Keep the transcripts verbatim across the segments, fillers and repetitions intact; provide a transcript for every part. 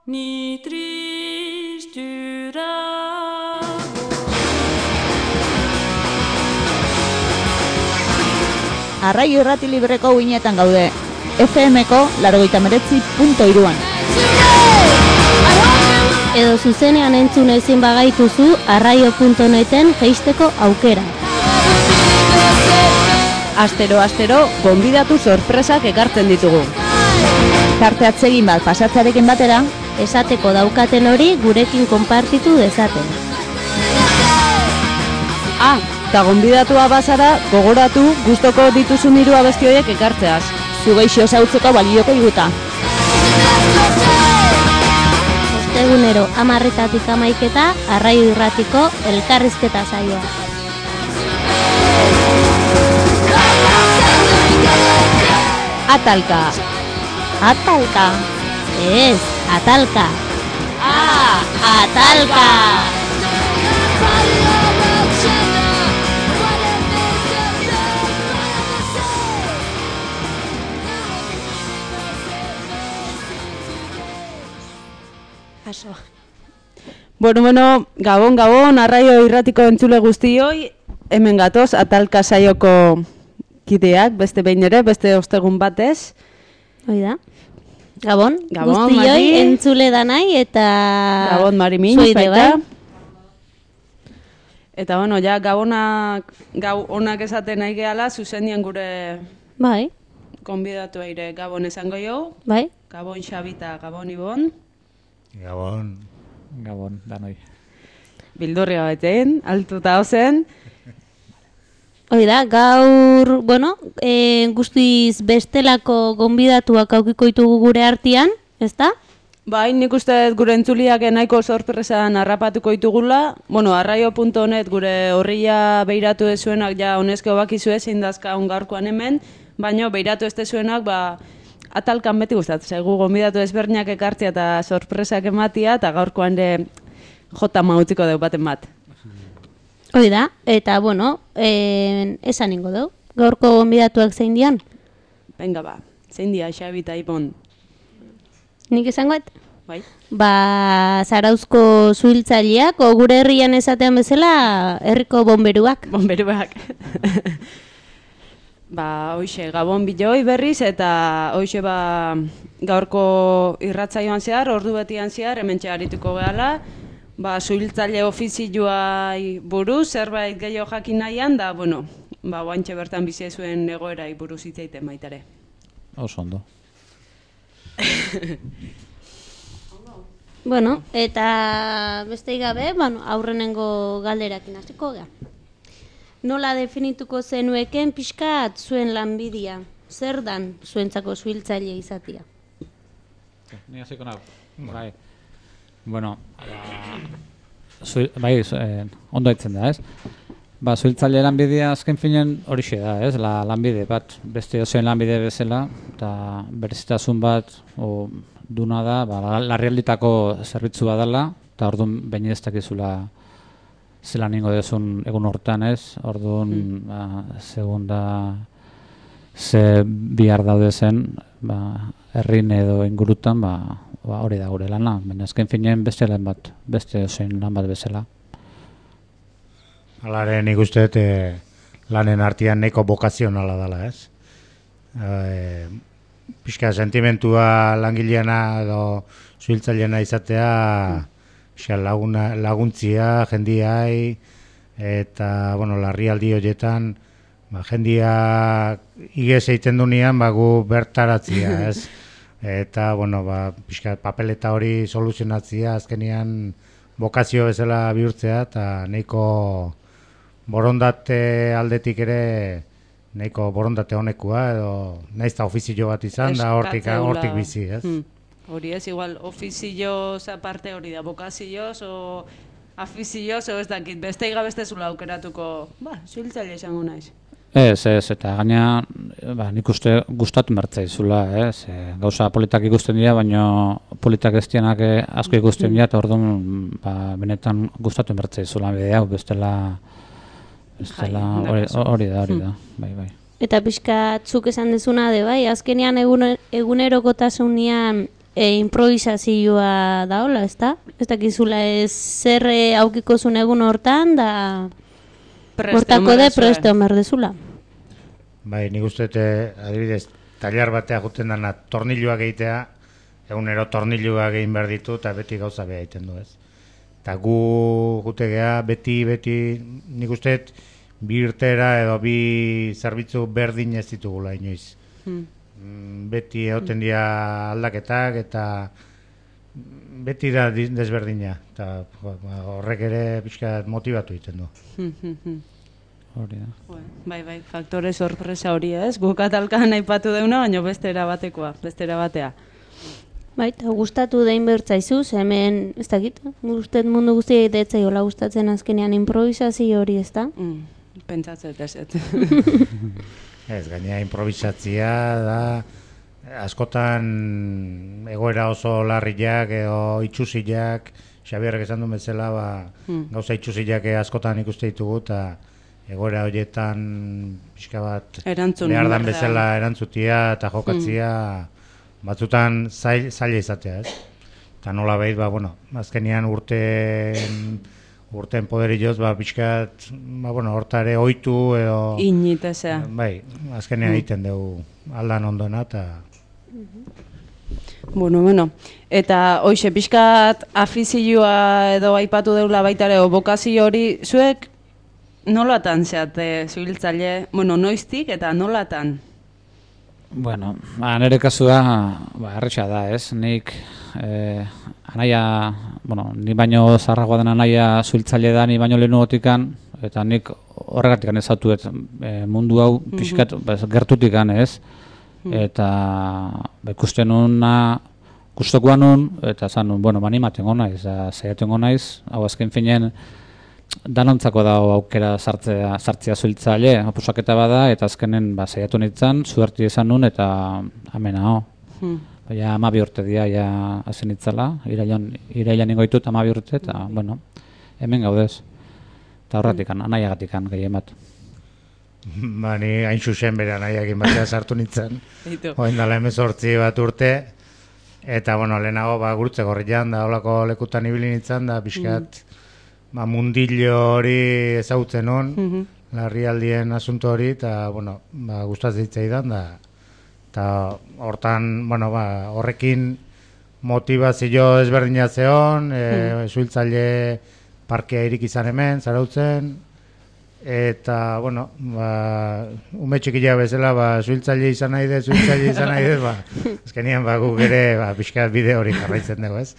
Ni tristura. Arraio irrati libreko uinetan gaude, F M-ko laurogeita hemeretzi puntu hiruan. Edo zuzenean entzun ezin bagaituzu arraio puntu neten jeisteko aukera. Astero, astero, gonbidatu sorpresak ekartzen ditugu. Tarte atsegin bat pasatzarekin batera, Esateko daukaten hori gurekin konpartitu dezaten. Ah, eta gonbidatua bazara, gogoratu gustoko dituzun hiru abesti horiek ekartzeaz. zu geixo zautzeko balioko iguta. Ostegunero hamarretatik hamaiketa arraio irratiko elkarrizketa saioa. Atalka. Atalka. Ez, atalka. Ah, atalka. Aso. Bueno, bueno, gabon, gabon, arraio irratiko entzule guztioi, hemen gatoz, atalka saioko kideak, beste behin ere, beste ostegun batez. Hoi da. Gabon, Gabon, guztioi Mari. entzule danai eta... Gabon, Mari Min, zuide, baita. bai? Eta, bueno, ja, gabonak, gau onak esaten nahi gehala, zuzenien gure Bai, konbidatu eire gabon esango jo, bai. Gabon Xabita, Gabon Ibon, Gabon. Gabon, danoi. bildurria batean, altuta ozen. Hoi da, gaur, bueno, e, guztiz bestelako gonbidatuak aukiko ditugu gure artean, ezta? Bai, nik uste dut gure entzuliak nahiko sorpresan harrapatuko ditugula. Bueno, arraio puntu net gure horria beiratu dezuenak ja honezkeo bakizue zein dazkaun gaurkoan hemen, baina beiratu ez dezuenak, ba, atalkan beti gustatzen zaigu gonbidatu ezberdinak ekartzea eta sorpresak ematia, eta gaurkoan ere jota mautziko dugu baten bat. Hoi da, eta, bueno, e, esan ingo dugu. Gaurko gonbidatuak zein dian? Venga ba, zein dia, Xabita Ibon. Nik esangoet? Bai? Ba, Zarauzko zuhiltzaileak, o gure herrian esatean bezala, herriko bomberuak. Bomberuak. Ba, hoxe, Gabon biloi berriz, eta hoxe ba, gaurko irratzaioan zehar, ordu betian zehar, hementxe arituko gehala, ba, zuhiltzaile ofizioai buruz, zerbait gehiago jakin nahian, da, bueno, ba, oantxe bertan bizi zuen egoerai buruz hitz egiten baitare. Oso ondo. Bueno, eta beste gabe, bueno, aurrenengo galderakin hasiko gara. Nola definituko zenueken pixkat zuen lanbidea? Zer dan zuentzako zuhiltzaile izatea? Ni hasiko nago. Bai. Bueno, ba, zu, bai, zu, eh, ondo ditzen da, ez? Ba, zuhiltzaile lanbidea azken finen horixe da, ez? La lanbide bat, beste ozen lanbide bezala, eta berezitasun bat o, duna da, ba, larrialditako zerbitzu badala, eta orduan baina ez dakizula zelan ingo dezun egun hortan, ez? Orduan, mm. ba, segunda ze bihar daude zen, ba, herrin edo ingurutan, ba, ba, hori da gure lana, baina azken finean beste lan bat, beste ozein lan bat bezala. Halare nik uste dut e, lanen artean nahiko bokazionala dela, ez? E, pixka sentimentua langileana edo zuhiltzaileena izatea, pixka laguna, laguntzia jendiai, eta, bueno, larrialdi horietan, ba, jendia igez egiten dunean, ba, gu bertaratzia, ez? Eta, bueno, ba, pixka papeleta hori soluzionatzia, azkenean bokazio bezala bihurtzea, eta nahiko borondate aldetik ere nahiko borondate honekua, edo naiz eta ofizio bat izan, da hortik, hortik bizi, ez? Hmm. Hori ez, igual, ofizioz aparte hori da, bokazioz, o afizioz, o ez dakit, beste igabestezula aukeratuko, ba, zuhiltzaile izango naiz. Ez, ez, eta gaina, ba, nik uste gustatu mertzaizula, ez? E, gauza politak ikusten dira, baina politak ez dianak asko ikusten dira, eta orduan, ba, benetan gustatu mertzaizula bide hau, bestela, bestela, hori, hori da, hori da, bai, bai. Eta pixka zuk esan dezuna de bai, azkenean egun, egunerokotasunean e, improvisazioa daola, ezta? Ez dakizula ez zer e, aukiko zuen egun hortan, da hortako de preste omer dezula. Bai, nik uste, eh, adibidez, tailar batea juten dana tornilloak egitea, egunero tornilloak egin behar ditu, eta beti gauza beha egiten du, ez. Eta gu jutegea, beti, beti, nik uste, bi irtera edo bi zerbitzu berdin ez ditugula inoiz. Hmm. Beti egoten dira aldaketak eta beti da desberdina. Eta horrek ere pixka motibatu egiten du. Hori da. Bai, bai, faktore sorpresa hori ez. Guk atalkan aipatu deuna, baina bestera batekoa, bestera batea. Bai, eta gustatu dein bertzaizuz, hemen, ez dakit, gustet mundu guztia egitetzaiola gustatzen azkenean improvisazio hori, ez da? Mm. Pentsatzet ez ez. Ez, gainera improvisatzia da askotan egoera oso larriak edo itxusiak, Xabierrek esan duen bezala, ba, hmm. gauza itxusiak askotan ikuste ditugu, eta egoera horietan pixka bat Erantzun, behar dan bezala erantzutia eta jokatzia hmm. batzutan zail, zaila izatea, ez? Eta nola behit, ba, bueno, azkenian urten urten poderioz, ba, pixkat, ba, bueno, hortare oitu edo... Initezea. Bai, azkenean mm. egiten dugu aldan ondona, eta... Bueno, bueno, eta hoxe, pixkat afizioa edo aipatu deula baitare, o bokazio hori, zuek nolatan zeate zuhiltzaile, bueno, noiztik eta nolatan? Bueno, ba, nire kasua, ba, erretxa da, ez? Nik, eh, anaia, bueno, ni baino zarragoa den anaia zuhiltzaile da, ni baino lehenugotikan, eta nik horregatikan ezautuet e, mundu hau pixkat mm-hmm. gertutikan, ez? Mm. Eta ba, ikusten nuna, gustokoa nun, eta zan nun, bueno, animaten naiz, zaiaten naiz, hau azken finen, danontzako dago aukera sartzea, sartzea zuhiltzaile, oposaketa bada, eta azkenen ba, zaiatu nintzen, zuerti izan nun, eta amena, ho. Mm. Ja, amabi urte dira, ja, hazen itzala, irailan, irailan ingoitut amabi urte, eta, bueno, hemen gaudez. Eta horretikan, anaiagatikan gehien bat. Ba, ni hain zuzen bere anaiakin batea sartu nintzen. Hoen dala hemezortzi bat urte, eta, bueno, lehenago, ba, gurutze gorrian, da, holako lekutan ibili nintzen, da, pixkat, mm. ba, mundillo hori ezagutzen hon, mm-hmm. larrialdien asunto hori, eta, bueno, ba, gustatzen zitzaidan, da, eta hortan, bueno, ba, horrekin motivazio ezberdina zeon, e, mm. zuhiltzaile parkea irik izan hemen, zarautzen, eta, bueno, ba, ume txikila bezala, ba, zuhiltzaile izan nahi dut, zuhiltzaile izan nahi dut, ba, azkenian, ba, guk ere, ba, pixka bide hori jarraitzen dugu, ez?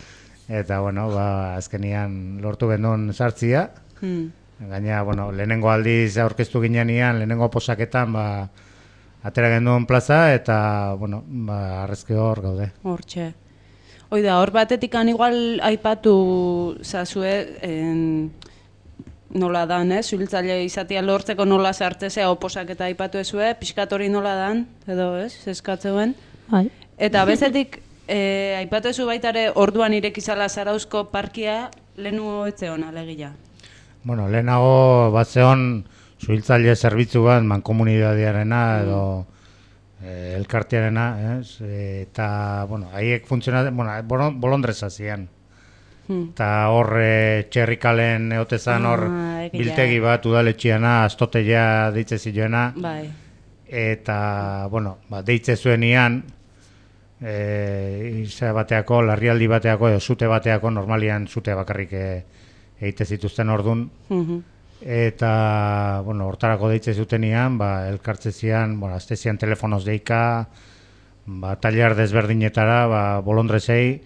Eta, bueno, ba, azkenian lortu genuen sartzia, mm. gaina, bueno, lehenengo aldiz aurkeztu ginean, lehenengo posaketan, ba, atera genuen plaza, eta, bueno, ba, arrezke hor gaude. Hortxe. Oida, hor batetikan igual aipatu zazue, en, nola dan, eh? Zuhiltzaile izatea lortzeko nola sartzea oposak eta aipatu ezue, pixkat hori nola dan, edo ez, zeskatzeuen. Bai. Eta bezetik, eh, aipatu ezu baitare orduan irekizala Zarauzko parkia lehenu etzeon alegia. Bueno, lehenago bat zeon zuhiltzaile zerbitzu bat mankomunidadearena edo eh, elkartearena, ez? Eta, bueno, haiek funtzionatzen, bueno, bolondreza zian. Hmm. Eta hor e, txerrikalen eotezan hor ah, biltegi bat udaletxiana, astoteia deitze zioena. Bai. Eta, bueno, ba, deitze zuenian, e, izan bateako, larrialdi bateako, edo zute bateako, normalian zute bakarrik e, egite zituzten ordun. Mm-hmm. Eta, bueno, hortarako deitze zutenian, ba, elkartze zian, bueno, azte zian telefonoz deika, ba, tailer desberdinetara, ba, bolondrezei,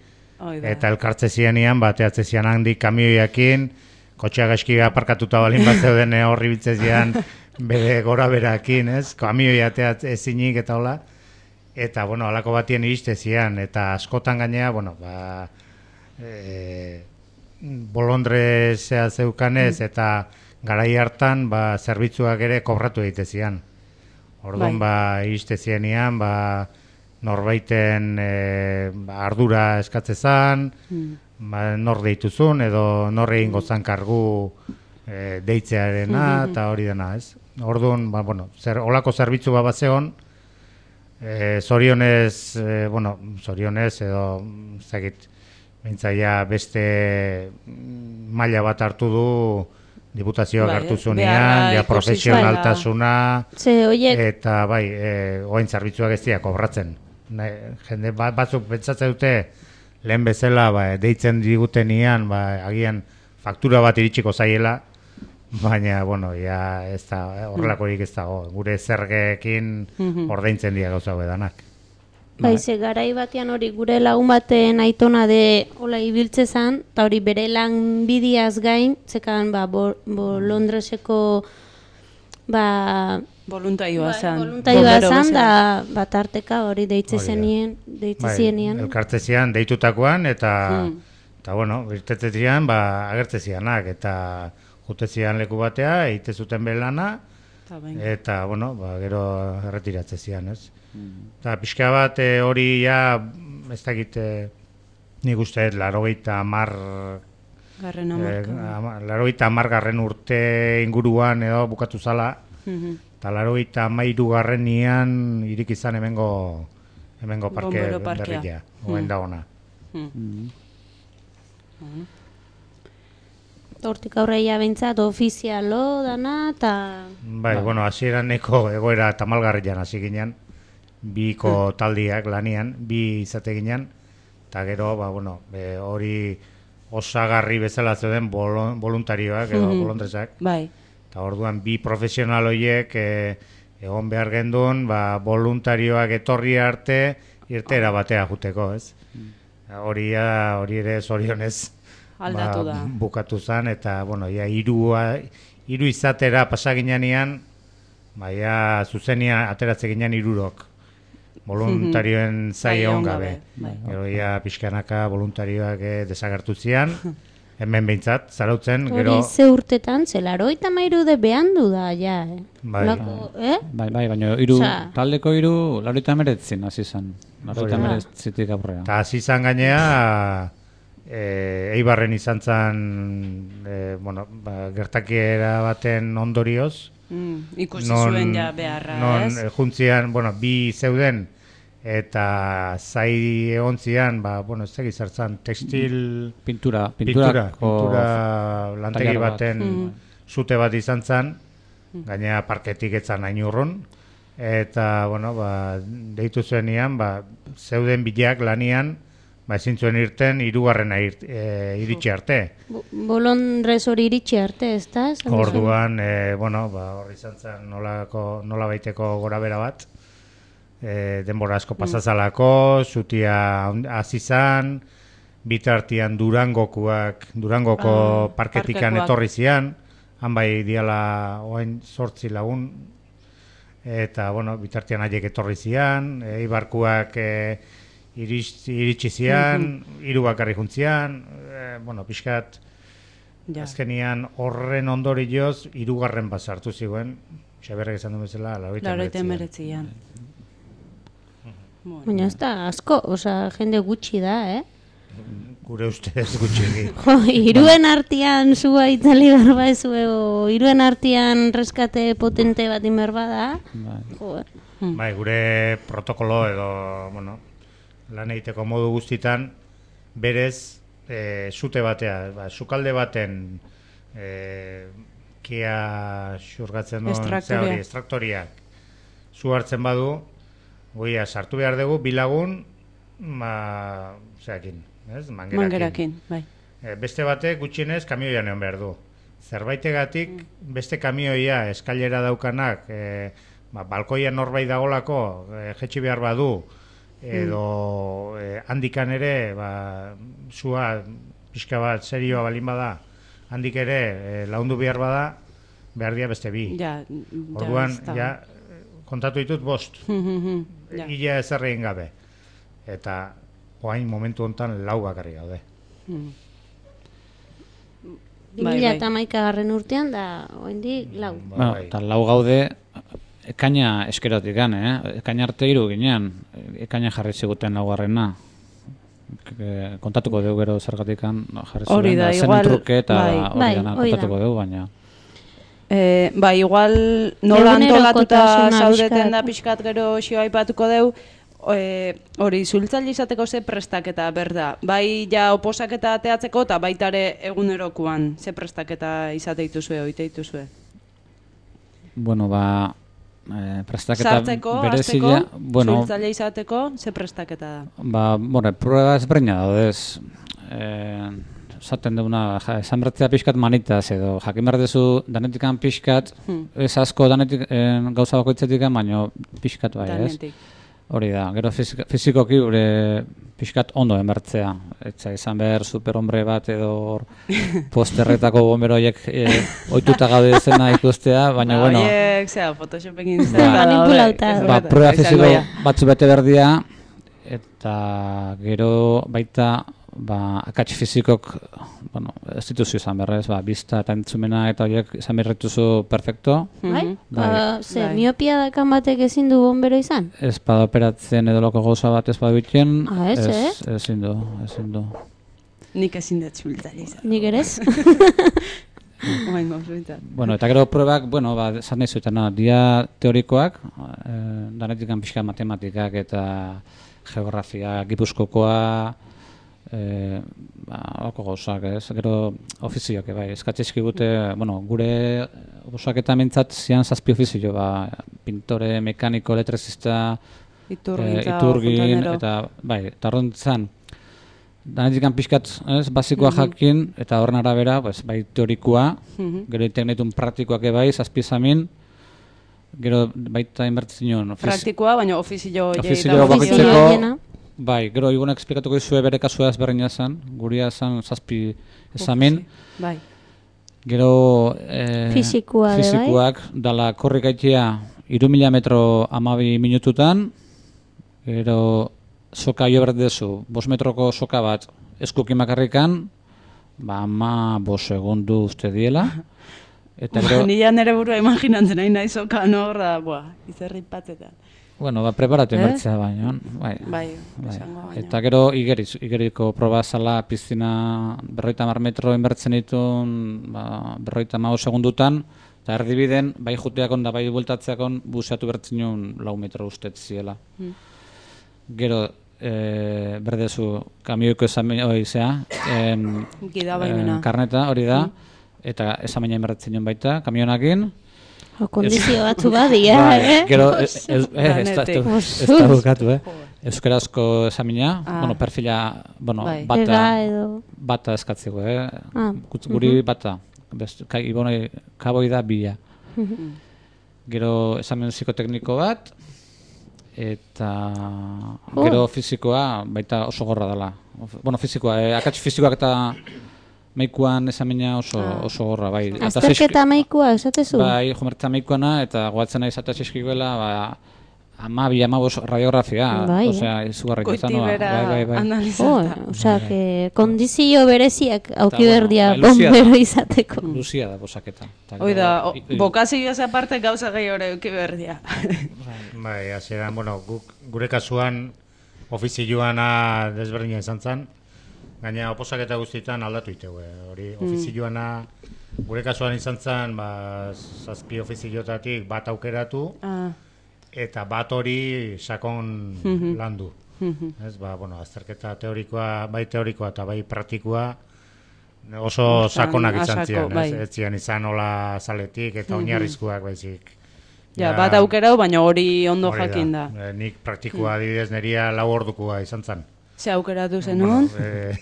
eta elkartze zianian, ba, teatze zian handik kamioiakin, kotxea gaizki aparkatuta balin bat zeuden horri bitzezian, bere gora berakin, ez? Kamioia teatze ezinik eta hola. Eta, bueno, alako batien iriste zian, eta askotan gainea, bueno, ba, e, bolondrezea zeukanez, mm. eta garai hartan, ba, zerbitzuak ere kobratu egite zian. Orduan, bai. ba, iriste zianian, ba, norbaiten e, ba, ardura eskatzezan, mm. ba, nor deituzun, edo nor egingo zan kargu e, deitzearena eta hori dena, ez? Orduan, ba, bueno, zer, olako zerbitzu bat bat zegoen, e, zorionez, e, bueno, zorionez edo, zakit, bentsaia beste maila bat hartu du diputazioak bai, hartu eh? zunean, Beharra ja ikusi profesionaltasuna, Ze, oiek, eta bai, e, oain zerbitzuak ez dira kobratzen. Ne, jende bat, batzuk pentsatzen dute lehen bezala ba, deitzen digutenian, ba, agian faktura bat iritsiko zaiela, baina, bueno, ja ez da, horrelakorik ez dago. Gure zergeekin ordaintzen dira gauza edanak. bai, ze garai batean hori gure lagun baten aitona de hola ibiltze zan, eta hori bere lan bidiaz gain, zekan, ba, bo, bo Londreseko, ba, Voluntarioa zen. voluntarioa zan, da, bat arteka hori deitze Hori da. zenien, deitze Bai, zienian. elkartzezian deitutakoan, eta, eta bueno, irtetzezian, ba, agertzezianak, eta jutezian leku batea, eite zuten belana, Ta bain. eta, bueno, ba, gero erretiratzezian, ez? Eta pixka bat e, hori ja, ez dakit, e, nik uste, larogeita amar, Garren e, hamarka. ama- larogeita amargarren urte inguruan edo bukatu zala, eta larogeita amairu garrenian irik izan hemengo, hemengo parke Bombero parkea. berria, oen da ona. Hortik aurreia behintzat ofizialo dana, eta Bai, bueno, hasieran neko egoera tamalgarrian hasi ginen, biko taldiak lanian, bi izate ginen, eta gero, ba, bueno, e, hori osagarri bezala zeuden bolo- voluntarioak edo bolondresak, Bai. eta orduan bi profesional horiek e, egon behar gendun, ba, voluntarioak etorri arte irtera batea juteko, ez? Hori ja, hori ere zorionez Aldatu da. bukatu zen, eta, bueno, ja, irua, iru izatera pasaginean, ba, ja, zuzenia ateratze ginen irurok. Voluntarioen zai Zai egon egon gabe. gabe, bai. Gero, ja, pixkanaka voluntarioak eh, desagertu zian, hemen behintzat, zarautzen, hori gero, ze urtetan, ze larogeita hamairu de behandu da, ja, eh? Bai. Olako, eh? Bai, bai, baina hiru Osea- taldeko hiru laurogeita hemeretzin hasi zen. laurogeita Hori da. hemeretzitik aurrea. eta hasi izan gainea, e, Eibarren izan zen, e, bueno, ba, gertakiera baten ondorioz, Mm, ikusi zuen ja beharra, non, ez? eh, juntzian, bueno, bi zeuden, eta zai egon zian, ba, bueno, ez tegiz hartzan, tekstil... Pintura, Pintura, pinturako pintura lantegi tailer bat. baten zute bat izan zen, gaina parketik etzan hain urrun, eta, bueno, ba, deitu zuenian, ba, zeuden bilak lanian, ba, ezin zuen irten, hirugarrena irt, e, iritsi arte. Bo- Bolondrez hori iritsi arte, ez da? Esan duzu? Orduan, e, bueno, ba, hor izan zen nolako, nola baiteko gora bera bat, e, denbora asko pasazalako, zutia hasi zan, bitartian Durangokuak, Durangoko Ah, parketikan parkekoak. etorri zian, han bai diala oain sortzi lagun, eta, bueno, bitartian haiek etorri zian, e, Eibarkuak e, iris, iritsi zian, hiru bakarri juntzian, e, bueno, pixkat, Ja. azkenian horren ondorioz hirugarren bat sartu zigoen, Xaberrek esan du bezala, laurogeita Laurogeita hemeretzian. hemeretzian. Baina ez da asko, osea, jende gutxi da, eh? Gure ustez gutxi. Jo, iruen artean zua itzali berba ez o iruen artean reskate potente bat inber bada. Bai. Jo, Bai, gure protokolo edo, bueno, lan egiteko modu guztitan, berez, e, zute batea, ba, sukalde baten e, kia xurgatzen duen, Estraktoria. ze hori, estraktoriak, zu hartzen badu, goia, sartu behar dugu, bilagun, ma, zeakin, ez, mangerakin. Mangerakin, bai. E, beste batek gutxienez kamioian egon behar du. Zerbaitegatik beste kamioia eskailera daukanak, e, ba, balkoian norbait dagolako, e, jetxi behar badu, edo e, handikan ere, ba, zua pixka bat serioa balin bada, handik ere e, laundu behar bada, behar dira beste bi. Ja, ja, Orduan, ez da. ja, kontatu ditut bost, Ja. ia ezer egin gabe. Eta, oain momentu honetan lau bakarri gaude. bi Bai, mila bai. eta hamaikagarren urtean da, oraindik lau. Ba, Bueno, bai. eta lau gaude ekaina eskerotik gan, eh? Ekaina arte hiru ginean, ekaina jarri ziguten laugarrena. e, kontatuko dugu gero zergatikan jarri zuen, Hori da, zen igual, truke eta bai. hori Bai, dana hori da. kontatuko dugu, baina... E, ba, igual nola antolatuta Egunerokotasuna zaudeten pixkat. da pixkat gero xio aipatuko deu, e, hori zultzaile izateko ze prestaketa berda. Bai ja oposaketa ateatzeko eta baita ere egunerokoan ze prestaketa izate dituzue, oite dituzue. Bueno, ba... E, prestaketa Sartzeko, berezia, hasteko, bueno, zultzaile izateko ze prestaketa da. ba, bueno, prueba ezberdina daudez. Eh, esaten duguna, ja, esan bertzea pixkat manitaz edo, jakin behar duzu danetikan pixkat, Hmm. ez asko danetik eh, gauza bakoitzetik, baino pixkat bai, ez? Danetik. Hori da, gero fisik, fizikoki gure pixkat ondo enbertzea. Etza izan behar superhombre bat edo hor posterretako bomberoiek eh, ohituta gaude zena ikustea, baina bueno, Horiek, zera, Photoshopekin Ba, zer manipulauta. ba, prueba fiziko batzu bete berdia, eta gero baita ba, akats fizikok, bueno, ez dituzu izan berrez, ba, bizta eta entzumena eta horiek izan berretuzu perfecto. Bai? Ba, Bai. ze, Bai. miopia dakan batek ezin du bombero izan? Ez bada operatzen edo loko gauza bat ez bada bitien, Ah, ez, ez, ezin du, ezin du. Nik ezin dut zultzaile izan. Nik ere ez? Oain gauzuetan. Bueno, eta gero pruebak, bueno, ba, esan nahi zuetena, dia teorikoak, eh, danetikan pixka matematikak eta geografia, gipuzkokoa, eh, ba, alako gauzak, ez? Gero ofizioak, bai, eskatzeizki gute, bueno, gure osaketa mintzat zian zazpi ofizio, ba, pintore, mekaniko, elektrizista, Iturgin, eh, iturgin, eta, bai, eta horrentzan, danetikan pixkat, ez, basikoa jakin, eta horren arabera, pues, bai, teorikoa, gero teknetun praktikoak bai, zazpizamin, gero baita inbertzen ofiz... Praktikoa, baina ofizio Ofizio horietan. bakoitzeko- Ofizio horiena. Bai, gero igunak esplikatuko izue bere kasua ezberdina zen, guria zen zazpi ezamin, Bai. gero... Eh, Fisikoa be bai. fisikoak, dala korrik gaitea hiru mila metro amabi minututan, gero soka jo berdezu, bost metroko soka bat eskukin bakarrikan, ba ama bost segundu uste diela, eta Ba, gero... nila nere burua imaginatzen nahi nahi soka norra, buah, izerri patzetan. Bueno, ba, preparatu Eh? inbertzea baino, bai. Bai, Bai. esango baina. Eta gero igeriz, igeriko proba zala piztina berroita mar metro inbertzen ditun ba, berroita mago segundutan, eta erdibiden, bai juteakon da bai bueltatzeakon buseatu bertzen nuen lau metro ustet ziela. Gero, e, berdezu, kamioiko esamen hori zea, em, Gida baimena. em, karneta hori da, eta esamena inbertzen nuen baita, kamionakin. O, kondizio batzu badia, Bai, eh? gero, ez ez- eh, ez da- ez da- ez da bukatu, eh? Euskarazko esamina, Ah. bueno, perfila, bueno, Bai. bata, Ega edo... bata eskatzeko, eh? Ah, Gutz- Guri bata, best, kai, ibonoi, kaboi da bila. Gero esamen psikotekniko bat, eta gero fizikoa baita oso gorra dela. Of- Bueno, fizikoa, eh, akats fizikoak eta meikuan esamina oso, oso gorra, bai. Eta zaizki- Azterketa maikua, esatezu? Bai, jomertza meikoana, eta goatzen nahi zata txeskiguela, ba, ama bi, ama bost radiografia, Bai, osea, izugarrik Goiti izan, bera bai, bai, bai. Oh, analizata. osea, que kondizio bereziak auki bueno, berdia bai, luzia da. bombero izateko. Luzia da bosaketa. Eta Hoi gero- da, o- i- i- bokazioaz aparte gauza gehiago euki berdia. Bai, hasieran, bueno, guk, gure kasuan ofizioana desberdina izan zen, gaina oposaketa guztietan aldatu itegu. Hori ofizioana gure kasuan izan zen, ba, zazpi ofiziotatik bat aukeratu, Ah, eta bat hori sakon landu. Ez, ba, bueno, azterketa teorikoa, bai teorikoa eta bai praktikoa oso Izan, sakonak izan asako, zian, bai. ez, ez zian izan hola zaletik eta oinarrizkoak baizik. ja, bat aukerau, baina hori ondo Hori jakin da. Eh, nik praktikoa adibidez neria lau ordukoa izan zen. Ze aukeratu zenun? Eh,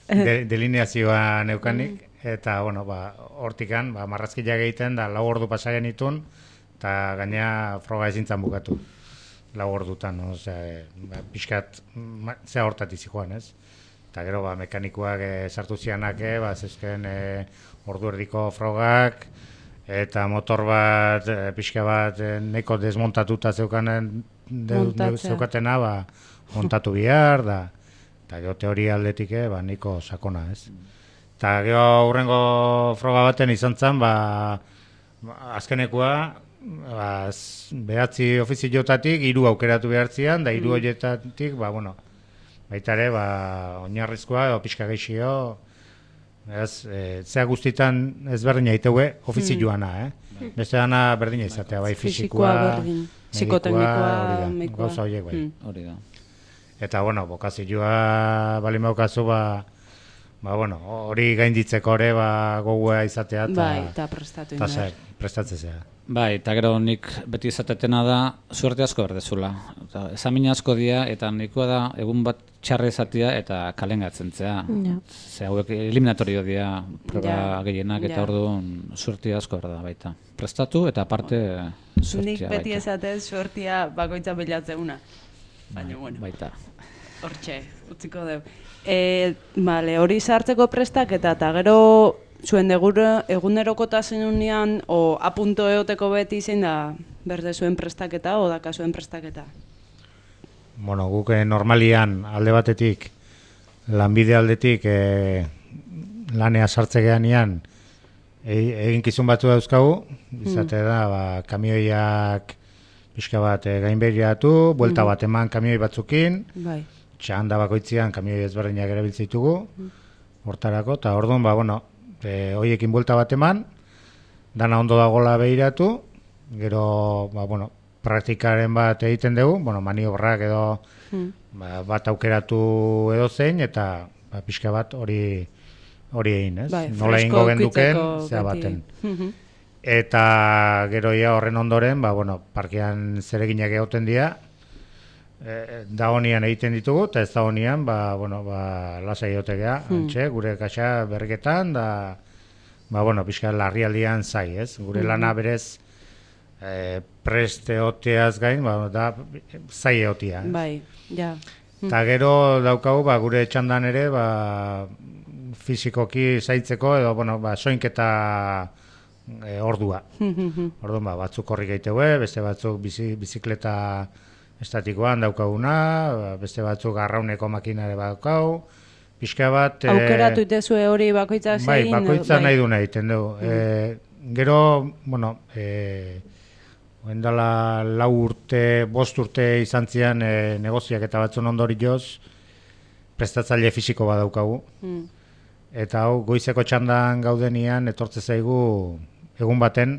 de, delineazioa neukanik, eta, bueno, ba, hortikan, ba, marrazkiak egiten da lau ordu pasagen itun, eta gaina froga ezintzan bukatu. Lau ordutan, no? Osea, e, ba, pixkat, ma, zea hortatiz joan, ez? Eta gero, ba, mekanikoak e, sartu zianak, e, ba, zezken e, ordu erdiko frogak, eta motor bat, e, pixka bat, e, neko desmontatuta zeukanen, de, de, Montatzea. zeukatena, ba, montatu bihar, da, eta gero teoria aldetik, e, ba, niko sakona, ez? Eta gero aurrengo froga baten izan zen, ba, azkenekoa, ba, z- behatzi ofiziotatik hiru aukeratu behartzian, da hiru horietatik, ba, bueno, baita ere, ba, oinarrizkoa, edo pixka geixio, ez, e, zea guztitan ezberdina iteue ofizioana, eh? Beste dana berdina izatea, bai Fisikoa fisikoa, berdin. medikua, Psikoteknikoa, hori da, medikua. gauza horiek bai. Mm. Hori da. Eta, bueno, bokazioa bali maukazu, ba, ba, bueno, hori gainditzeko ere, ba, gogua izatea, eta Bai, eta prestatu eta indar. zer, prestatzea. Bai, eta gero nik beti izatetena da, suerte asko berdezula. Eta esamina asko dira, eta nikoa da, egun bat txarre izatea eta kalengatzen zea. Ja. Ze hauek eliminatorio dira, proba Ja, gehienak, eta ja. orduan suerte asko berda baita. Prestatu, eta aparte Nik suertea beti baita. esatez suertia bakoitza bilatzeuna. Baina, bueno, Baita. hortxe, utziko dugu. E, vale, hori sartzeko prestaketa, eta gero zuen degure egunerokotasunean o apunto eoteko beti zein da berde zuen prestaketa o daka zuen prestaketa. Bueno, guk eh, normalian alde batetik, lanbide aldetik eh, lanea sartze geanean e, eginkizun batzu dauzkagu, izate da, ba, kamioiak pixka bat e, gainbegiratu, buelta bat eman kamioi batzukin, Bai. txanda bakoitzean kamioi ezberdinak erabiltzitugu, hortarako, eta orduan, ba, bueno, e, hoiekin buelta bat eman, dana ondo dagola behiratu, gero, ba, bueno, praktikaren bat egiten dugu, bueno, maniobrak edo ba, bat aukeratu edo zein, eta ba, pixka bat hori hori egin, ez? Bai, Nola fresko ingo genduken, ukitzeko zea beti. baten. Mhm. Eta gero ja horren ondoren, ba, bueno, parkean zereginak egoten dira, e, da honian egiten ditugu, eta ez da honian, ba, bueno, ba, lasai egotegea, antxe, gure kaxa berriketan, da, ba, bueno, pixka larrialdian zai, ez? Gure lana berez, e, prest egoteaz gain, ba, da, zai egotia. ez? Bai, ja. Eta gero daukagu, ba, gure txandan ere, ba, fizikoki zaitzeko, edo, bueno, ba, soinketa e, ordua. Orduan, ba, batzuk horri gaitegue, beste batzuk bizi, bizikleta estatikoan daukaguna, ba, beste batzuk arrauneko makinare badaukagu, pixka bat... e, Aukeratu itezue hori bakoitza zein. Bai, edo- bakoitza bai. nahi du nahi, egiten dugu. E, gero, bueno, e, oendala lau urte, bost urte izan zian e, negoziak eta batzun ondorioz, prestatzaile fisiko badaukagu. Mm. Eta hau, goizeko txandan gaudenian, etortze zaigu egun baten,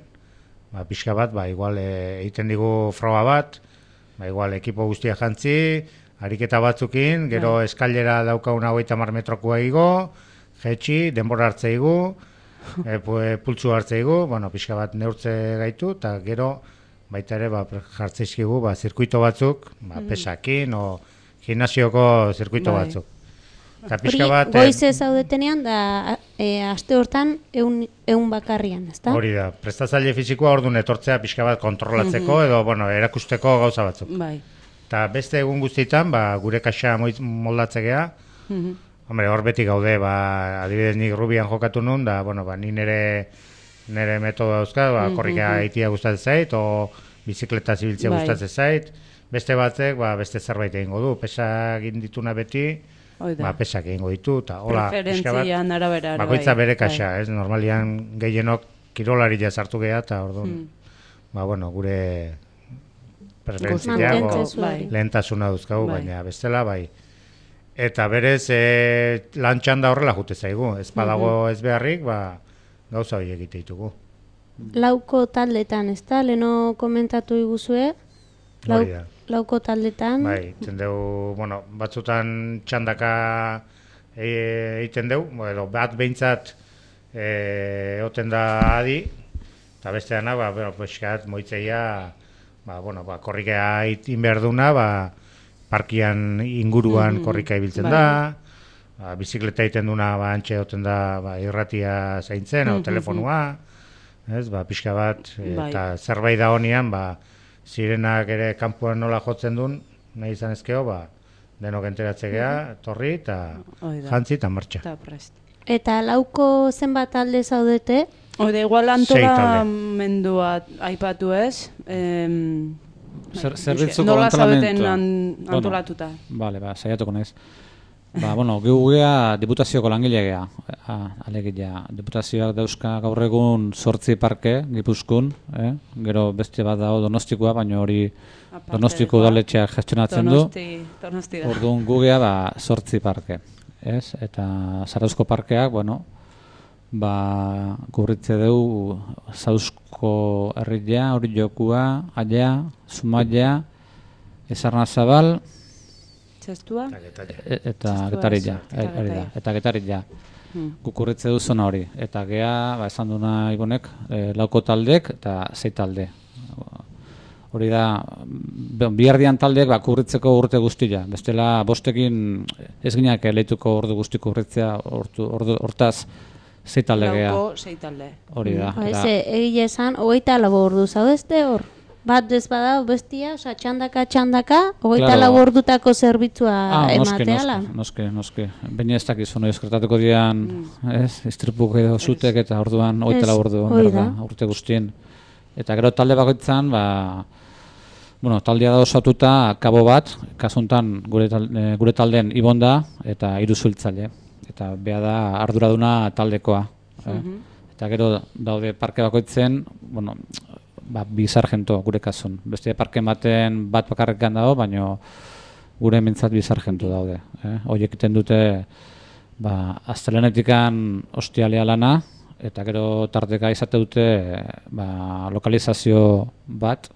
ba, pixka bat, ba, igual e, egiten digu froga bat, ba, igual ekipo guztia jantzi, ariketa batzukin, gero eskailera daukaguna hogeita hamar metrokoa igo, jetxi, denbora hartze igu, e, pu- pultsu hartze igu, bueno, pixka bat neurtze gaitu, eta gero baita ere ba, jartzeizkigu ba, zirkuito batzuk, ba, pesakin, o gimnasioko zirkuito Bai. batzuk. Eta Hori pixka bat... e, goize zaudetenean da e, aste hortan eun, eun bakarrian, ezta? Hori da, prestatzaile fisikoa orduan etortzea pixka bat kontrolatzeko edo bueno, erakusteko gauza batzuk. Bai. Eta beste egun guztietan, ba, gure kaxa moit- moldatzea, Mhm. hombre, hor beti gaude, ba, adibidez nik Rubian jokatu nun, da, bueno, ba, ni nere, nere metodo dauzka, ba, korrika egitea gustatzen zait, o bizikleta zibiltzea Bai. gustatzen zait, beste batzek, ba, beste zerbait egingo du, pesa egin dituna beti, Hoi da. ba, pesak egingo ditu, eta hola, pixka bat, Preferentzian arabera. ere bakoitza bai. bere kaxa, ez? Normalian gehienok kirolari sartu geha, eta orduan, ba, bueno, gure preferentziak Mantentze o zuari. lehentasuna duzkagu, Bai. baina bestela, bai. Eta berez, e, lan txanda horrela jute zaigu, ez badago ez beharrik, ba, gauza hori egite ditugu. Lauko taldetan, ezta? Leno komentatu iguzue? Lau, Hori da. lauko taldetan. Bai, iten dugu, bueno, batzutan txandaka e- egiten dugu, edo bat behintzat e, egoten da adi, eta beste dana, ba, bueno, peskat, moitzeia, ba, bueno, ba, korrikea egin behar duna, ba, parkian inguruan korrika ibiltzen bai. da, ba, bizikleta egiten duna, ba, antxe egoten da, ba, irratia zaintzen, o telefonua, ez, ba, pixka bat, e, Bai. eta zerbait da honian, ba, zirenak ere kanpoan nola jotzen duen, nahi izan ezkeo, ba, denok enteratze geha, torri, eta Hoi da. jantzi eta martxa. Eta prest. Eta lauko zenbat talde zaudete? Oide, igual Sei talde. antolamendua aipatu ez. Em, Zer, bai, zerbitzuko nola zaudeten antolamentua. an, Bueno, antolatuta. Bale, ba, saiatuko naiz. Ba, bueno, gu gea diputazioko langile gea, alegia. Diputazioak dauzka gaur egun zortzi parke, Gipuzkoan, eh? Gero beste bat dago Donostikoa, baina hori Donostiko udaletxeak gestionatzen du. Donosti, Donosti da. Orduan gu gea ba, zortzi parke, ez? Eta Zarauzko parkeak, bueno, ba, gurritze dugu Zauzko herria, hori jokua, aia, Zumaia, Ezarnazabal, Txestua? E- eta Getarilla, hori da, eta Getarilla. Gukurritze du zona hori. Eta gea, ba, esan duna ibonek, e, lauko taldek eta zei talde. Hori da, bihardian taldeek ba, kurritzeko urte guztia. Bestela, bostekin ez gineak leituko ordu guzti kurritzea, ordu, ordu, hortaz zei talde gea. Lauko zei talde. Hori da. Ba, eta- eze, egile esan, hogeita lau ordu zaudezte hor. Bat ez bada, bestia, oza, txandaka, txandaka, hogeita Claro. lau ordutako zerbitzua Ah, noski, emateala. noski, noski, noski. Baina ez dakizu, no, eskertatuko dian, ez, istripuk edo zutek eta orduan, hogeita Ez, lau ordu, hori berda, da. urte guztien. Eta gero talde bakoitzan, ba, bueno, taldea da osatuta kabo bat, kasuntan gure, tal, eh, gure taldeen ibon da, eta hiru zuhiltzaile. Eta bea da arduraduna taldekoa. Eh? Eta gero daude parke bakoitzen, bueno, ba, bi sargento gure kasun. Beste parke baten bat bakarrekan dago, baina gure mintzat bi sargento daude. Eh? Horiek egiten dute ba, aztelenetikan ostialea lana, eta gero tarteka izate dute ba, lokalizazio bat,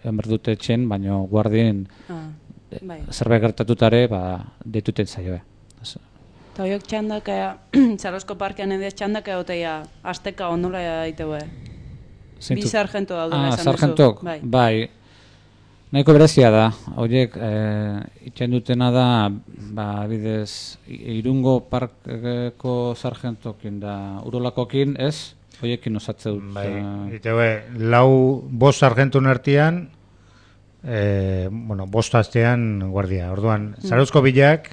enber dute etxen, baina guardien Ah, bai. zerbait gertatutare ba, deituten zaioe. Eta horiek txandaka, Zarauzko parkean edo txandaka oteia, azteka ondola daiteue. Bi sargento daudela ah, esan sargentok, duzu. Bai. bai. Nahiko berezia da. Horiek eh, itxen dutena da, ba, bidez, i- Irungo parkeko sargentokin da urolakokin, ez? Horiekin osatze dut. Bai, eh, iteue, lau bost sargentun artean, e, bueno, bost astean guardia. Orduan, Zarauzko bilak,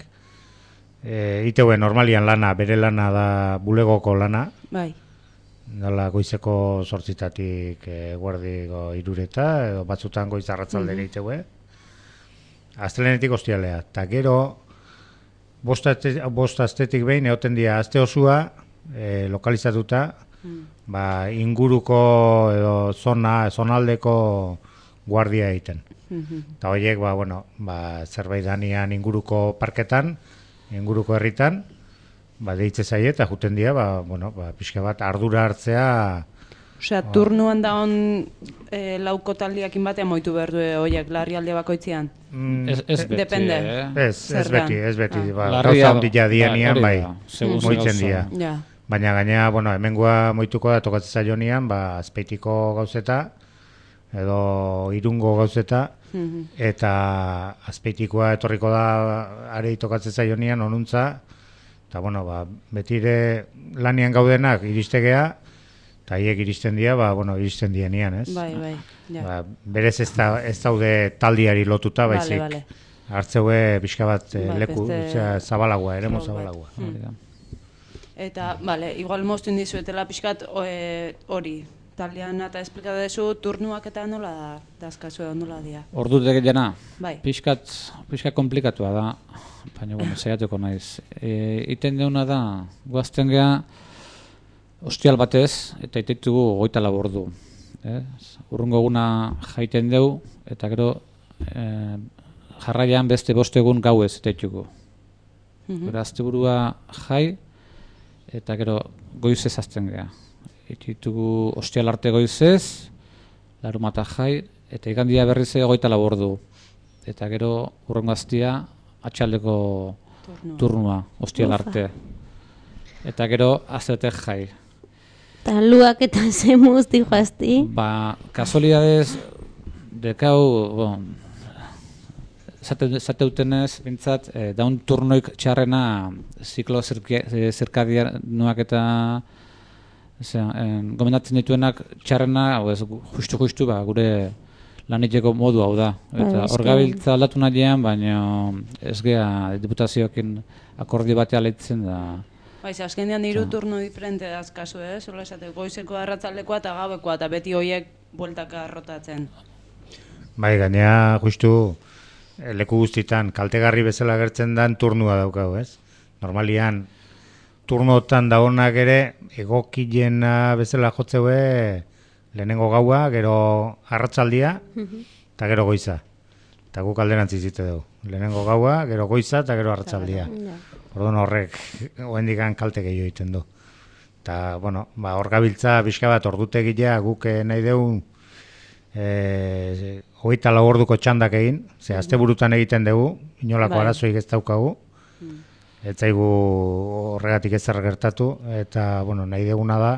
e, iteue normalian lana, bere lana da bulegoko lana, Bai. dala goizeko zortzitatik e, guardiko irureta, edo batzutan goiz arratzaldera iteue. Astelenetik ostialea. Eta gero, bost, aste, bost astetik behin, egoten dira, aste osua, e, lokalizatuta, ba, inguruko edo zona, zonaldeko guardia egiten. Eta horiek, ba, bueno, ba, zerbait danian inguruko parketan, inguruko herritan, ba, deitze zaie eta juten dira, ba, bueno, ba, pixka bat ardura hartzea, Osea, turnuan da on e, lauko taldiakin batean moitu behar du horiek larrialde bakoitzean. mm, Ez, ez beti, Depende. eh? ez, ez Zergan. beti, ez beti, Ah. ba, Larria- gauza handia dianian, hori bai, da, segun ze moitzen gauza. dira. Ja. Baina gainea, bueno, hemengoa moituko da tokatzen zaionian, ba, azpeitiko gauzeta, edo irungo gauzeta, eta azpeitikoa etorriko da arei tokatzen zaionian, onuntza, eta bueno, ba, betire lanian gaudenak iristegea, eta haiek iristen dira, ba, bueno, iristen dienian, ez? Bai, bai. Ja. Ba, berez ez, da, ez daude taldiari lotuta, Vale, baizik. vale. Hartzeue pixka bat eh, Bai, leku, beste- osea, zabalagoa, eremo Flow bat. zabalagoa. Hori da. Eta, bale, igual moztu indizuetela pixkat o, e, hori. Taldean eta esplikatu dezu, turnuak eta nola da, dazkazu edo nola dia. Ordu degena, Bai. pixkat, pixkat komplikatua da, baina, bueno, saiatuko naiz. E, iten deuna da, guazten geha, ostial batez, eta iteitugu goita lau ordu. Ez? Urrungo eguna jaiten deu, eta gero e, jarraian beste bost egun gauez iteitugu. Gero asteburua jai, eta gero goizez azten geha. Ititugu ostial arte goizez, larumata jai, eta igandia berriz goita lau ordu. Eta gero urrengo aztia atxaldeko Turnua. turnua, ostial arte. Eta gero aztetek jai. Eta luak eta zemuz dijoazti. Ba, kasualidades dekau, bon, zate, zate utenez, bintzat, eh, daun turnoik txarrena ziklo zirkadianuak eta zera, en, gomendatzen dituenak txarrena, hau ez, justu-justu, ba, gure laniteko modu hau da. Eta Bai, hor eske- gabiltza aldatu nahian, baina ez gea diputazioekin akordio batea leitzen da. Baiz, azkenean hiru turno diferente dazkazu, eh? Zola esate, goizeko arratzaldekoa eta gauekoa, eta beti horiek bueltaka rotatzen. Bai, gainea justu eh, leku guztitan kaltegarri bezala gertzen dan turnua daukau, ez? normalian turnotan dagonak ere egokilena bezala jotzeue lehenengo gaua, gero arratsaldia eta gero goiza. Eta guk alderantziz zite dugu. Lehenengo gaua, gero goiza eta gero arratsaldia. Orduan horrek oraindikan kalte gehiago egiten du. Eta, bueno, ba, hor gabiltza pixka bat ordutegia guk nahi dugu e, hogeita lau orduko txandak egin, ze asteburutan egiten dugu, inolako arazoik ez daukagu, ez zaigu horregatik ezer gertatu, eta, bueno, nahi duguna da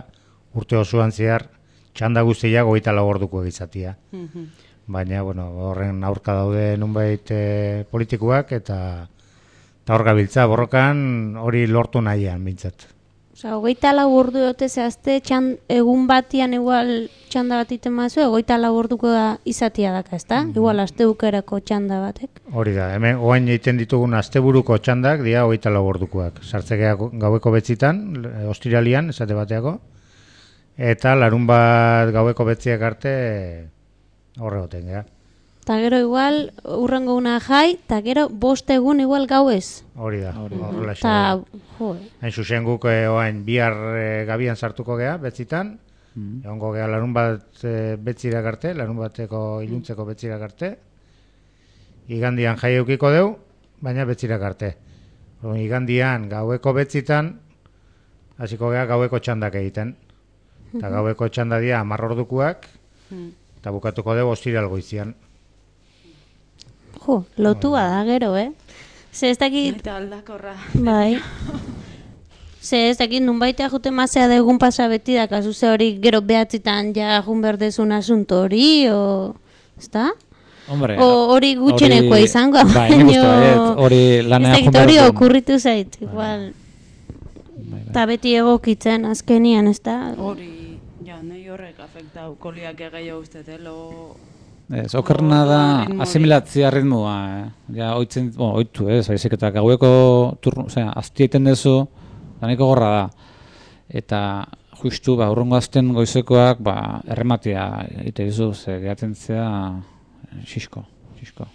urte osoan zehar txanda guztiak hogeita lau orduko egizatia. Baina, bueno, horren aurka daude nunbait e, politikoak, eta, eta hor gabiltza borrokan hori lortu nahian bintzat. Osa, hogeita lau ordu dute zehazte, egun batian igual txanda bat iten mazu, hogeita lau orduko izatia daka, ezta? Mm. Igual asteukerako txanda batek. Hori da, hemen oain egiten ditugun asteburuko txandak, dira hogeita lau ordukoak. Sartzekea gaueko betzitan, ostiralian, esate bateako, eta larun bat gaueko betziak arte horre goten, gara. Eta gero igual, urrengo una jai, eta gero bost egun igual gauez. Hori da, horrela xa. Hain zuzen guk eh, oain bihar eh, gabian sartuko gea, betzitan, mm. egongo gea larun bat eh, betzirak arte, larun bateko iluntzeko betzirak arte, igandian jai eukiko deu, baina betzirak arte. Orduan, igandian gaueko betzitan, hasiko gea gaueko txandak egiten. Eta gaueko txanda dira hamar ordukoak, eta bukatuko deu ostiral goizian. Jo, lotua da gero, eh? Ze ez dakit... Eta aldakorra. Bai. Ze ez dakit nunbaitea jute mazea da egun pasa beti da, kasu ze hori gero behatzitan ja jun berdezun asunto hori, o... Ezta? Hombre, o hori gutxenekoa izango, bai, baino... Hori lanea jun hori okurritu zait, igual... Eta beti egokitzen azkenian, ezta? Hori, ja, nahi horrek afektau, koliak egeio ustetelo... Ez, okerna da asimilatzia ritmoa, eh? Ja, oitzen, bo, oitu, ez, baizik eta gaueko turno, osea, azti egiten dezu, da nahiko gorra da. Eta justu, ba, urrungo azten goizekoak, ba, errematia egite dizu, ze gehatzen zea, xisko, xisko.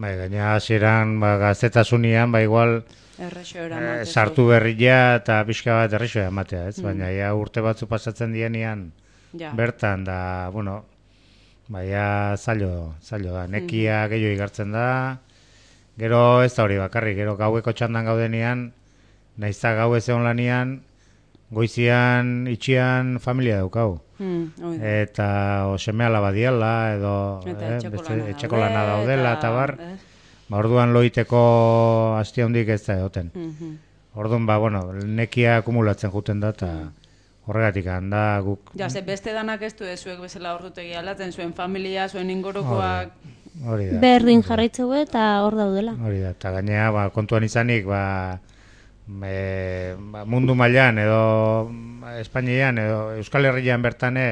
Bai, gaina hasieran ba, gaztetasunian, ba, igual, eh, sartu berria eta pixka bat errexoa ematea, ez? Mm. Baina ja urte batzu pasatzen dienean, ja. Bertan, da, bueno, baina zailo, zailo da, nekia mm. gehiago igartzen da, gero ez da hori bakarrik, gero gaueko txandan gaudenean, naizta gau ez egon lanian, goizian, itxian familia daukau. Mm, eta o seme alaba diala, edo eta eh, etxeko lana daudela, eta bar, eh? Ba, orduan loiteko hastia hondik ez da egoten. Mm-hmm. Orduan, ba, bueno, nekia akumulatzen juten da, eta horregatik handa guk... Ja, ze beste danak ez du ezuek bezala ordutegi alatzen, zuen familia, zuen ingurukoak... Hori da. Berdin jarraitzeu eta hor daudela. Hori da, eta gainea, ba, kontuan izanik, ba, me, ba, mundu mailan edo Espainian edo Euskal Herrian bertane,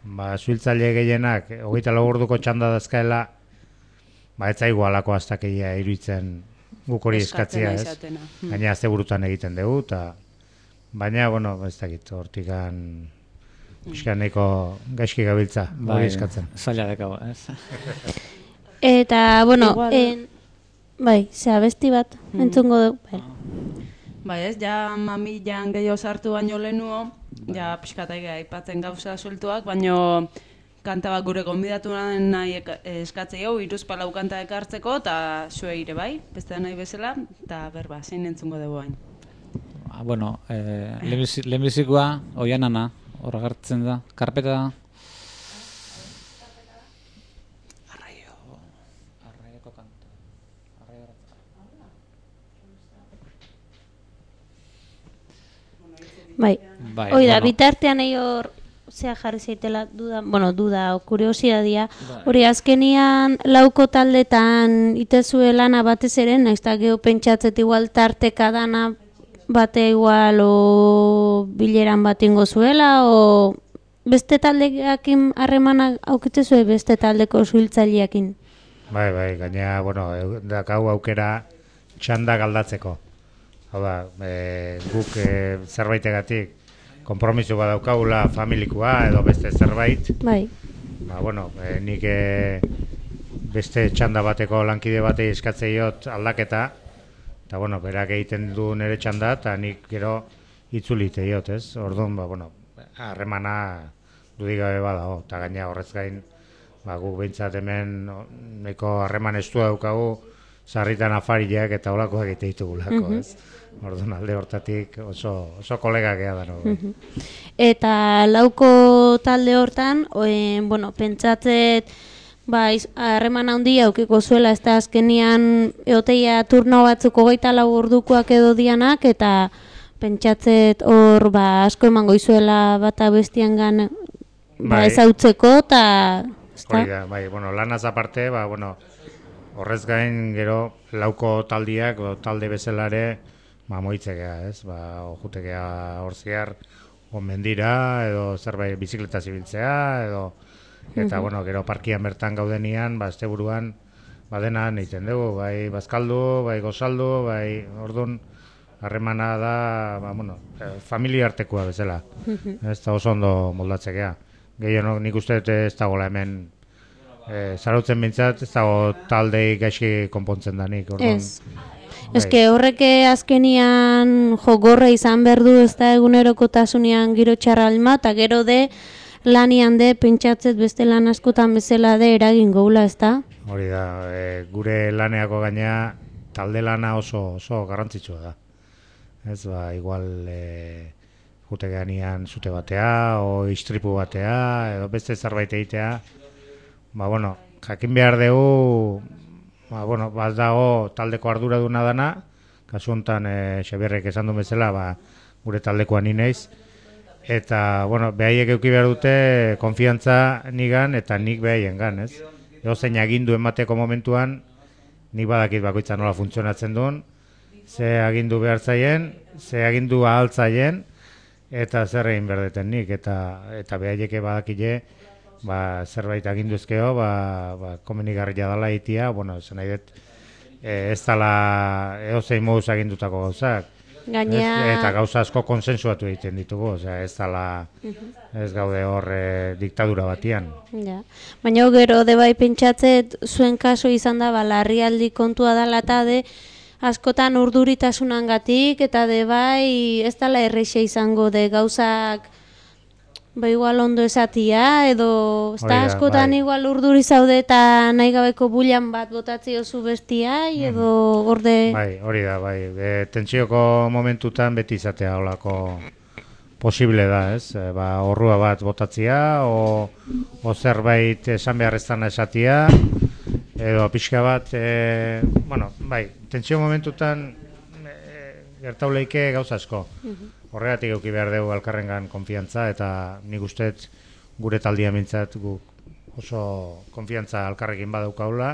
ba, zuhiltzaile gehienak, hogeita lau orduko txanda dazkaela, ba, ez zaigu alako astakeia iruditzen guk hori eskatzia, ez? Gainea azte burutan egiten dugu, eta... Baina, bueno, ez dakit, hortikan pixkan nahiko gaizki gabiltza, hori eskatzen. Zaila dekago, ez? Eta, bueno, en, bai, zea besti bat, mm. entzungo du. Bai. bai ez, ja mamilan gehiago sartu baino lehenuo, ja pixkatai aipatzen gauza sueltuak, baino kanta bat gure gonbidatu nahi eskatzei hau, hiruzpalau kanta ekartzeko, eta zue ire bai, beste nahi bezala, eta berba, zein entzungo dugu hain. Bueno, eh, lehenbizikoa, oianana, hor agertzen da, karpeta da. Arraio, arraioko kanta. Arraio bai, bai, hoi da, bueno. Bitartean egin hor, zea jarri zaitela, duda, bueno, duda, o kuriosidadea, hori azkenian lauko taldetan itezue lana batez ere, naizta geho pentsatzet igual tarteka dana, bate igual o bileran bat ingo zuela o beste taldeakin harremana aukitezue beste taldeko zuhiltzaileakin. Bai, bai, gaina, bueno, dakau aukera txanda galdatzeko. Hau da, e, guk e, zerbaitegatik konpromiso badaukagula familikoa edo beste zerbait. Bai. Ba, bueno, e, nik e, beste txanda bateko lankide batei eskatzeiot aldaketa, Eta, bueno, berak egiten du nire txanda, eta nik gero itzulite diot, ez? Orduan, ba, bueno, harremana dudik gabe badago, eta gaina horrez gain, ba, gu behintzat hemen neko harreman estua daukagu, sarritan afariak eta olakoak egite ditugulako, ez? Orduan alde hortatik oso, oso kolegak ea da, no? Eta lauko talde hortan, e, bueno, pentsatzet, ba, harreman handia aukiko zuela, ez da azkenian eoteia turno batzuk hogeita lau ordukoak edo dianak, eta pentsatzet hor, ba, asko emango izuela bata bestiangan, ba, bai. ezautzeko, eta... Hori da, bai, bueno, lanaz aparte, ba, bueno, horrez gain gero lauko taldiak, o talde bezalare, ba, moitzekea, ez? Ba, ojutekea hor ziar, mendira, edo zerbait bizikleta zibiltzea, edo, eta, bueno, gero parkian bertan gaudenian, ba, este buruan, ba, dena egiten dugu, bai, bazkaldu, bai, gozaldu, bai, orduan, harremana da, ba, bueno, familia artekoa bezala, ez da oso ondo moldatzekea. Gehien nik uste ez dagoela hemen, e, zarautzen bintzat, ez dago taldei gaizki konpontzen danik, orduan. Ez. Ez que horreke azkenian jo gorra izan behar du, ez da egunerokotasunean giro txarra alma, eta gero de lanian de pentsatzet beste lan askotan bezala de eragin goula, ez da? Hori da, e, gure laneako gaina talde lana oso, oso garrantzitsua da. Ez ba, igual e, jutegeanian zute batea, o istripu batea, edo beste zerbait egitea, ba, bueno, jakin behar dugu, ba, bueno, bat dago taldeko arduraduna dana, kasu honetan e, Xabierrek esan du bezala, ba, gure taldekoan ineiz, eta, bueno, behaiek euki behar dute konfiantza nigan eta nik behaiengan, ez? Ego zein agindu emateko momentuan, nik badakit bakoitza nola funtzionatzen duen, ze agindu behar zaien, ze agindu ahaltzaien, eta zer egin berdeten nik, eta, eta behaieke badakile, ba, zerbait agindu ezkeo, ba, ba, komenigarria dala itia, bueno, esan nahi dut, e, ez dala eozein moduz agindutako gauzak. Gainea... Ez, eta gauza asko konsensuatu egiten ditugu, osea, ez dala, ez gaude hor e, diktadura batian. Ja. Baina gero, de bai pentsatzet, zuen kaso izan da, ba, larrialdi kontua dala eta de, askotan urduritasunangatik, eta de bai ez dala erreixe izango de gauzak, ba igual ondo esatia, edo ez da askotan bai. Igual urduri zaude eta nahi gabeko bulan bat botatzi oso bestia, edo orde... Bai, hori da, bai. E, tentsioko momentutan beti izatea holako posible da, ez? E, ba, orrua bat botatzia, o, o zerbait esan beharreztana esatia, edo pixka bat, e, bueno, bai, tentsio momentutan e, gertauleike gauza asko. Horregatik euki behar dugu elkarrengan konfiantza, eta nik usteet gure taldia mintzat guk oso konfiantza elkarrekin badaukaula,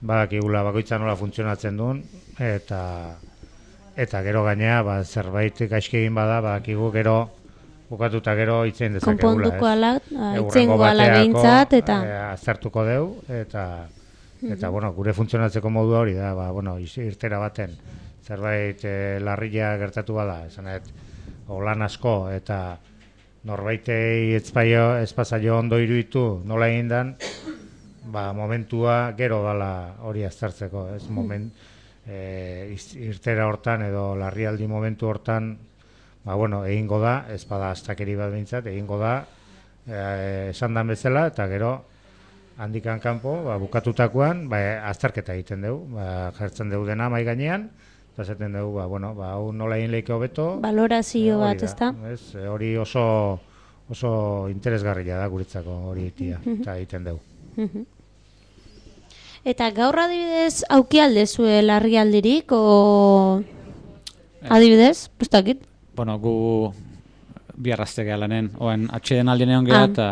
badakigula bakoitza nola funtzionatzen duen, eta eta gero gainea ba, zerbait gaizki egin bada, badakigu gero bukatuta gero itzen dezakegula. Konponduko ala, itzen goala behintzat, eta... E, aztertuko deu, eta, eta bueno, gure funtzionatzeko modua hori da, ba, bueno, irtera baten. Zerbait e, larria gertatu bada, esanet, lan asko, eta norbaitei ezpaio, ezpazaio ondo iruditu nola egin dan, ba, momentua gero dala hori aztertzeko, ez moment, e, irtera hortan edo larrialdi momentu hortan, ba, bueno, egingo da, ez bada astakeri bat behintzat, egingo da, e, esan dan bezala, eta gero, handikan kanpo, ba, bukatutakoan, ba, azterketa egiten dugu, ba, jartzen dugu dena mai gainean, eta zaten dugu, ba, bueno, ba, hau nola egin lehiko hobeto. Valorazio bat, ez da? Hori oso, oso interesgarria da guretzako hori itia, eta egiten dugu. Eta gaur adibidez, auki aldezue larrialdirik, o adibidez, pustakit? Bueno, gu bihar azte geha lanen, oen atxeden aldien egon geha, eta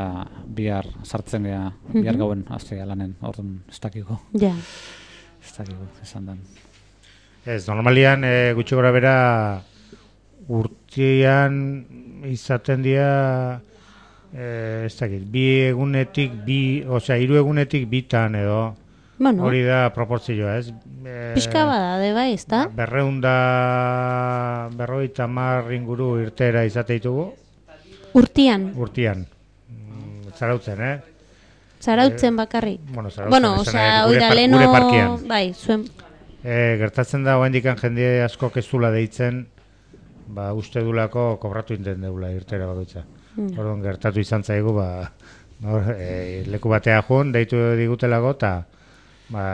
bihar sartzen geha, bihar gauen azte geha lanen, orduan ez dakiko. Ja. Ez dakiko, esan den. Ez, normalian e, gutxi gora bera urtean izaten dira e, ez dakit, bi egunetik, bi, osea, hiru egunetik bitan edo bueno, hori da proportzioa, ez? E, Pixka bada, de bai, ez da? Berreunda, berroita mar inguru irtera izate ditugu. Urtian? Urtian. Mm, zarautzen, eh? Zarautzen bakarrik? Bueno, zarautzen, bueno, esan osea, gure, oida par, leno, gure parkian. Bai, zuen... E, gertatzen da, oendikan jende asko keztula deitzen, ba, uste dulako kobratu inten deula irtera bakoitza. Mm. Orduan, gertatu izan zaigu, ba, nor, e, leku batea joan, deitu digutelako, eta ba,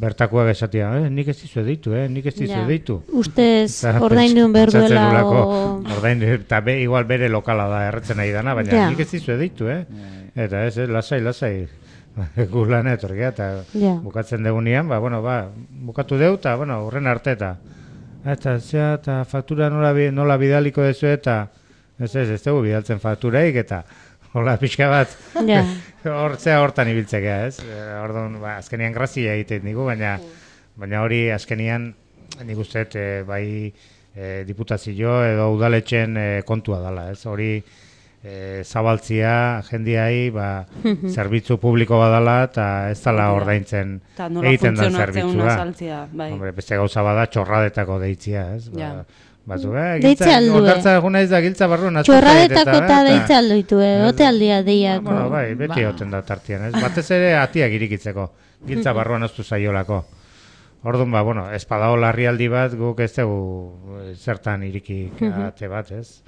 bertakoak esatia, eh, nik ez dizue deitu, eh, nik ez dizue Ja. deitu. Ustez ordaindun behar duela o... Ordaindu, eta be, igual bere lokala da erretzen nahi dana, baina Ja. nik ez dizue deitu, eh. Eta ez, eh, lasai, lasai. Gu lan etorgia, eta Ja. bukatzen degunean, ba, bueno, ba, bukatu deu, eta, bueno, horren arte, eta eta, zea, eta faktura nola, bi- nola bidaliko dezu, eta ez ez, ez dugu bidaltzen fakturaik, eta hola, pixka bat, Ja. hor, zea hortan ibiltzekea, ez? Eh, Orduan, ba, azkenian grazia egiten digu, baina, baina hori azkenian, nik uste, e, bai e, diputazio edo udaletxen e, kontua dela, ez? Hori e, zabaltzia jendiai, ba, zerbitzu publiko badala, eta ez dala ordaintzen Eta nola egiten da funtzionatzen una zerbitzua. saltzia, bai. Hombre, beste gauza bada txorradetako deitzia, ez? Ba, Ja. Batzu, eh, Deitze giltza, aldue. ondartza egun naiz da giltza barruan aztertzen Txorradetako eta, eta eta- deitza aldoitu, eh? Ote aldia Ah, deiako. bueno, bai, beti egoten da tartian, ez? Batez ere atiak irikitzeko, giltza barruan oztu zaiolako. Orduan, ba, bueno, ez badao larrialdi bat, guk ez dugu eh, zertan irikik ate bat, ez?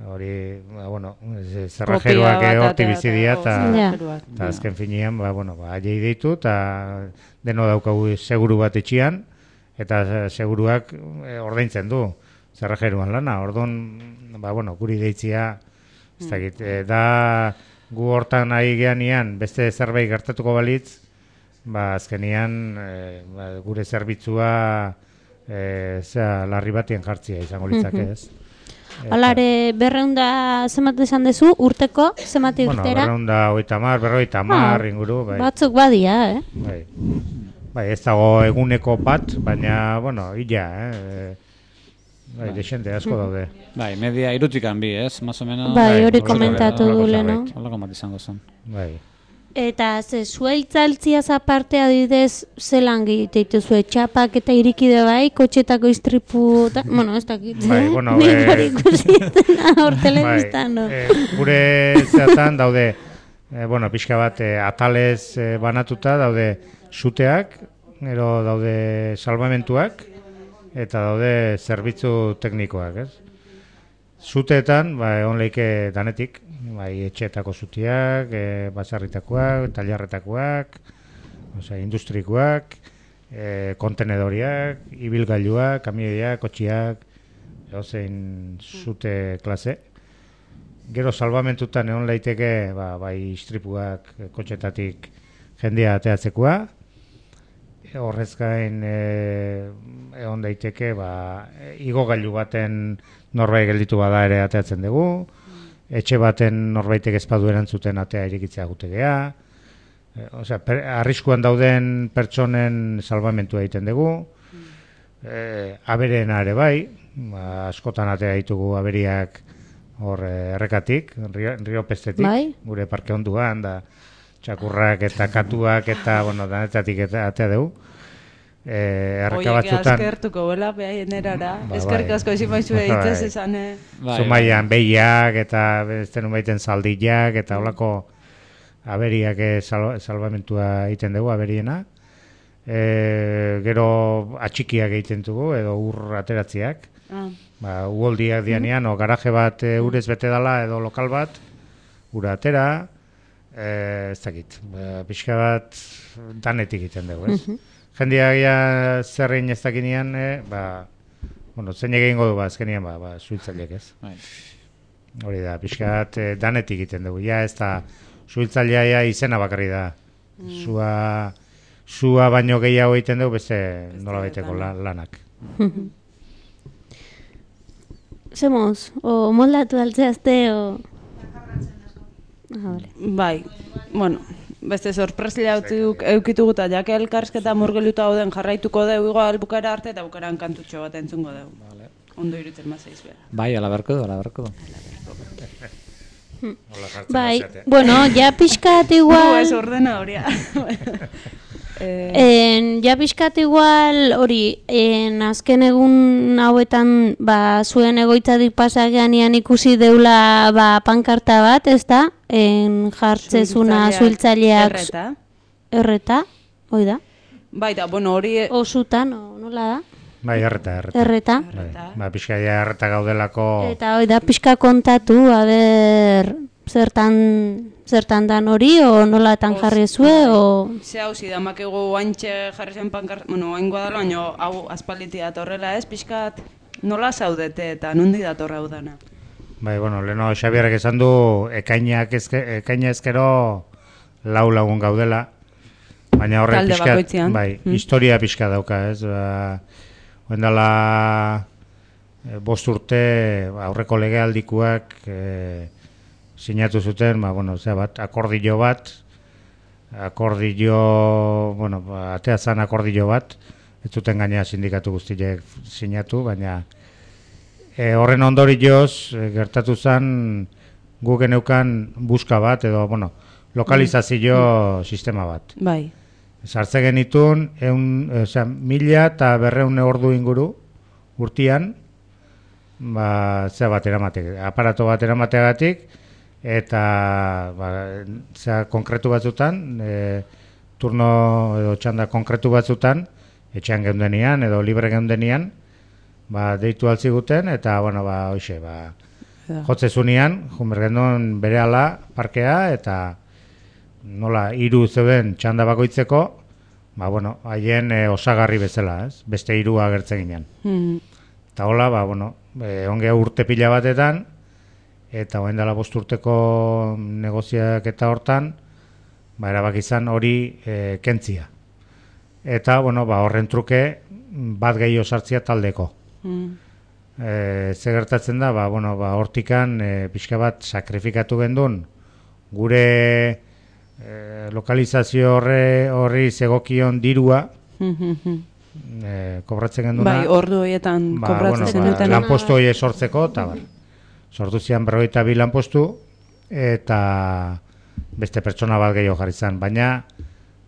Hori, ba, bueno, ez- zerrajeruak Kopia bat horti atera bizi dira, eta Ja. zerrajeruak. eta azken finean, ba, bueno, ba, aiei deitu, eta deno daukagu seguru bat etxian, eta seguruak eh, ordaintzen du zerrajeruan lana. Orduan, ba, bueno, guri deitzia, ez dakit, eh, da gu hortan ari geanian, beste zerbait gertatuko balitz, ba, azkenian eh, ba, gure zerbitzua eh, zera, larri batien jartzia izango litzake, ez? Alare, berreunda zenbat esan dezu, urteko, zenbat Bueno, urtera? berreunda hogeita hamar, berrogeita hamar inguru, bai. Batzuk badia, eh? Bai. Bai, ez dago eguneko bat, baina, bueno, illa, eh? Bai, desente asko daude. Bai, media irutikan bi, ez? Más o menos. Bai, hori horrelako komentatu zerbait, du horrelako leno. zerbait. Holako bat izango zen. Bai. Eta ze zueltzaltziaz aparte adidez zelan egite zuen txapak eta irikide bai, kotxetako istripu, eta, bueno, ez dakit, Bai, eh? bueno, Nik eh, hori ikusi hor telebistan, no? eh, gure zeatan daude, eh, bueno, pixka bat eh, atalez eh, banatuta daude suteak, gero daude salvamentuak, eta daude zerbitzu teknikoak, ez? Zuteetan, ba, egon leike danetik, bai, etxeetako zutiak, e, basarritakoak, tailarretakoak, osea, industrikoak, e, kontenedoriak, ibilgailuak, kamioiak, kotxiak, edozein zute klase. Gero salvamentutan egon leiteke, ba, bai, istripuak, e, kotxetatik jendea ateatzekoa, e, horrez gain e, egon daiteke, ba, e, igogailu baten norbait gelditu bada ere ateatzen dugu, etxe baten norbaitek ezpadu erantzuten atea irikitzea gutegea, e, osea, per, arriskuan dauden pertsonen salvamentua egiten dugu, e, abereena ere bai, ba, askotan atea ditugu aberiak hor eh, errekatik, rio, rio pestetik, Bai. gure parke onduan, da txakurrak eta katuak eta, bueno, danetatik eta atea dugu. Eh, erreka Oiek batzutan, askertuko bela behaien erara. Ba, Eskerrik bai. asko ezin baizu Bai. eitzez esan, eh? Bai, Zumaian behiak eta beste baiten zaldiak eta holako aberiak eh, sal, salvamentua egiten dugu, aberiena. E, gero atxikiak egiten dugu edo ur ateratziak. Ah. Ba, uholdiak dianean, o garaje bat e, urez bete dala edo lokal bat, ura atera, e, ez dakit, ba, pixka bat danetik egiten dugu, ez? Jendeak ja zerrein ez dakinean, e, ba, bueno, zein egingo du, ba, azkenian, ba, ba, suhiltzaileek, ez? Bai. Hori da, pixka bat e, danetik egiten dugu, ja, ez da, suhiltzailea ja izena bakarri da. Zua, zua baino gehiago egiten dugu, beste nola baiteko la, lanak. Zemoz, o moldatu altzeazte, o... Ah, vale. Bai, bueno, beste sorpresila utziduk eukitugu eta jake elkarsketa murgeluta hauden jarraituko dugu igual bukara arte eta bukaran kantutxo bat entzungo dugu. Vale. Ondo irutzen mazaiz behar. Bai, ala berko du, ala berko du. Hola, jartzen Bai, bazeate. bueno, ja pixkat Gu igual... ez ordena horia. eh, En, ja pixkat igual hori, en azken egun hauetan ba, zuen egoitzatik pasageanian ikusi deula ba, pankarta bat, ez da? En jartzezuna zuhiltzaileak Erreta. erreta, hoi da? Baita, bueno, hori... Osutan, o nola da? Bai, erreta, erreta. Erreta. Bai, ba, pixka ja erreta gaudelako... Eta hoi da, pixka kontatu, aber, zertan, zertan dan hori, o nolatan jarri zue, o... Ze hau zidamakegu oaintxe jarri zen pankar... Bueno, oain guadalo, baina hau aspalditi datorrela ez, pixkat nola zaudete eta nundi datorra hau dana? Bai, bueno, leheno Xabierrek esan du ekainak ezke, ekaina ezkero lau lagun gaudela, baina horrek Talde pixka, bakoitzean. bai, Mm. historia pixka dauka, ez? Ba, oendala e, bost urte ba, aurreko legealdikuak e, sinatu zuten, ba, bueno, zera bat, akordio bat, akordio, bueno, ba, atea zan akordio bat, ez zuten gaina sindikatu guztiek sinatu, baina e, horren ondorioz e, gertatu zen guk geneukan buska bat, edo, bueno, lokalizazio mm. sistema bat. Bai. Sartze genitun, eun, osea, mila eta berreun ordu inguru urtian, ba, zera bat eramatek, aparato bat eramateagatik, eta ba, zera konkretu batzutan, e, turno edo txanda konkretu batzutan, etxean geundenian edo libre geundenian, ba, deitu altziguten, eta, bueno, ba, hoxe, ba, jotze zunean, junbergendun bere ala parkea, eta nola hiru zeuden txanda bakoitzeko, ba, bueno, haien e, osagarri bezala, ez? Beste hiru agertzen ginen. Mm. Eta hola, ba, bueno, e, ongea urte pila batetan, eta orain dela bost urteko negoziak eta hortan, ba, erabaki izan hori e, kentzia. Eta, bueno, ba, horren truke bat gehiago sartzia taldeko. Mm. E, ze gertatzen da, ba, bueno, ba, hortikan e, pixka bat sakrifikatu gendun, gure e, lokalizazio horre, horri zegokion dirua, e, kobratzen genduna. Bai, ordu horietan ba, kobratzen bueno, zenuten. ba, lanpostu hori sortzeko, eta bar. Sortu zian berrogeita bi lanpostu, eta beste pertsona bat gehiago jarri zen. Baina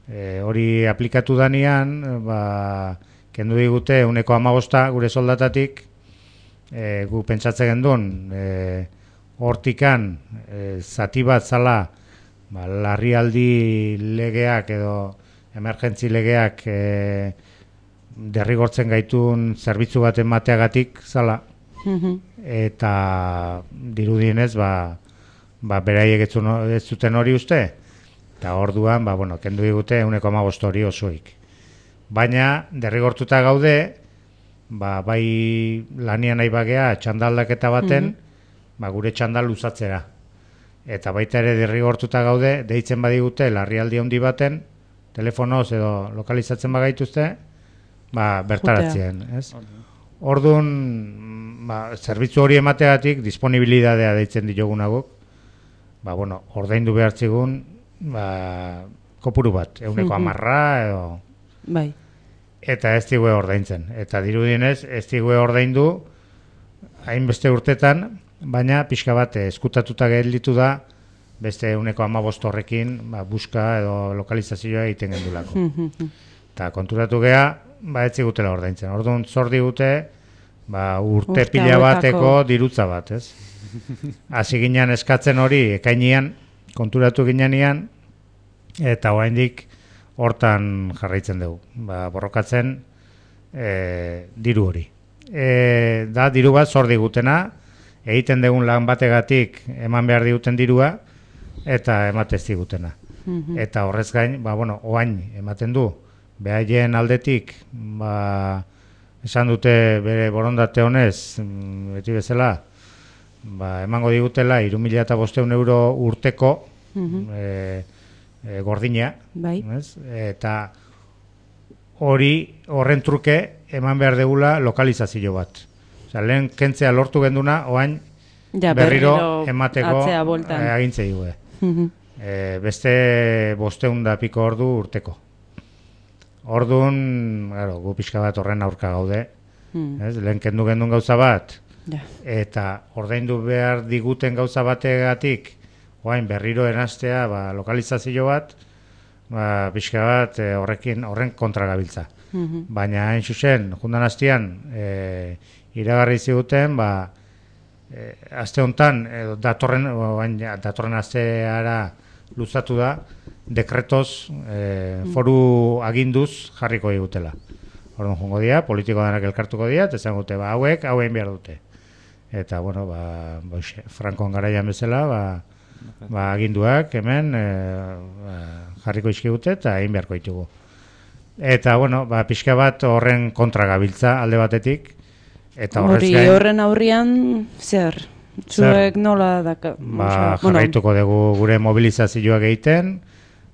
e, hori aplikatu danean, ba, kendu digute uneko hamabosta gure soldatatik, e, gu pentsatzen gendun, e, hortikan e, zati bat zala, ba, larrialdi legeak edo emergentzi legeak e, derrigortzen gaitun zerbitzu bat emateagatik zala, eta dirudienez ba, ba beraiek ez zuen- ez zuten hori uste, eta orduan ba, bueno, kendu digute uneko hamabost hori osoik. Baina derrigortuta gaude, ba, bai lanian nahi bagea txandaldaketa baten, ba, gure txandal luzatzera. Eta baita ere derrigortuta gaude, deitzen badigute larrialdi handi baten, telefonoz edo lokalizatzen bagaituzte, ba, bertaratzen, ez? Orduan, ba, zerbitzu hori emategatik disponibilidadea deitzen diogunaguk, ba, bueno, ordaindu behartzigun, ba, kopuru bat, euneko amarra edo... Bai. Eta ez digue ordaintzen. Eta dirudienez, ez digue ordaindu hainbeste urtetan, baina pixka bat eskutatuta gelditu da beste uneko hamabost horrekin ba, buska edo lokalizazioa egiten gendulako. Eta konturatu gea, ba ez zigutela ordaintzen. Orduan zor digute ba, urte Urte pila hauetako. bateko dirutza bat, ez? Hasi ginen eskatzen hori ekainian, konturatu ginean, eta oraindik hortan jarraitzen dugu. Ba, borrokatzen e, diru hori. E, da, diru bat zor digutena, egiten dugun lan bategatik eman behar diguten dirua, eta ematez digutena. Eta horrez gain, ba, bueno, oain ematen du, behaien aldetik, ba, esan dute bere borondate honez, mm, beti bezala, ba, emango digutela hiru mila bostehun euro urteko e, e, gordina, Bai. ez? Eta hori horren truke eman behar degula lokalizazio bat. Osea, lehen kentzea lortu genduna, oain Ja, berriro, berriro emateko atzea bueltan. e, agintzei gue. E, beste bosteun da piko ordu urteko. Orduan, claro, gu pixka bat horren aurka gaude. Ez? Lehen kendu gendun gauza bat, Ja. eta ordaindu behar diguten gauza bategatik, oain berriro eraztea ba, lokalizazio bat, ba, pixka bat e, horrekin horren kontra gabiltza. Baina hain zuzen, jundan hastian, e, iragarri ziguten, ba, e, aste hontan, edo datorren, oain, ja, datorren asteara luzatu da, dekretoz e, foru aginduz jarriko digutela. Orduan jongo dira, politiko danak elkartuko dira, eta esango dute, ba, hauek, hauen behar dute. Eta, bueno, ba, boixe, Frankon garaian bezala, ba, ba, aginduak hemen e, ba, jarriko izkigute eta egin beharko ditugu. Eta, bueno, ba, pixka bat horren kontra gabiltza alde batetik. Eta hori gain, horren aurrian, zer? Zuek zer? nola daka? Ba, jarraituko dugu gure mobilizazioak egiten,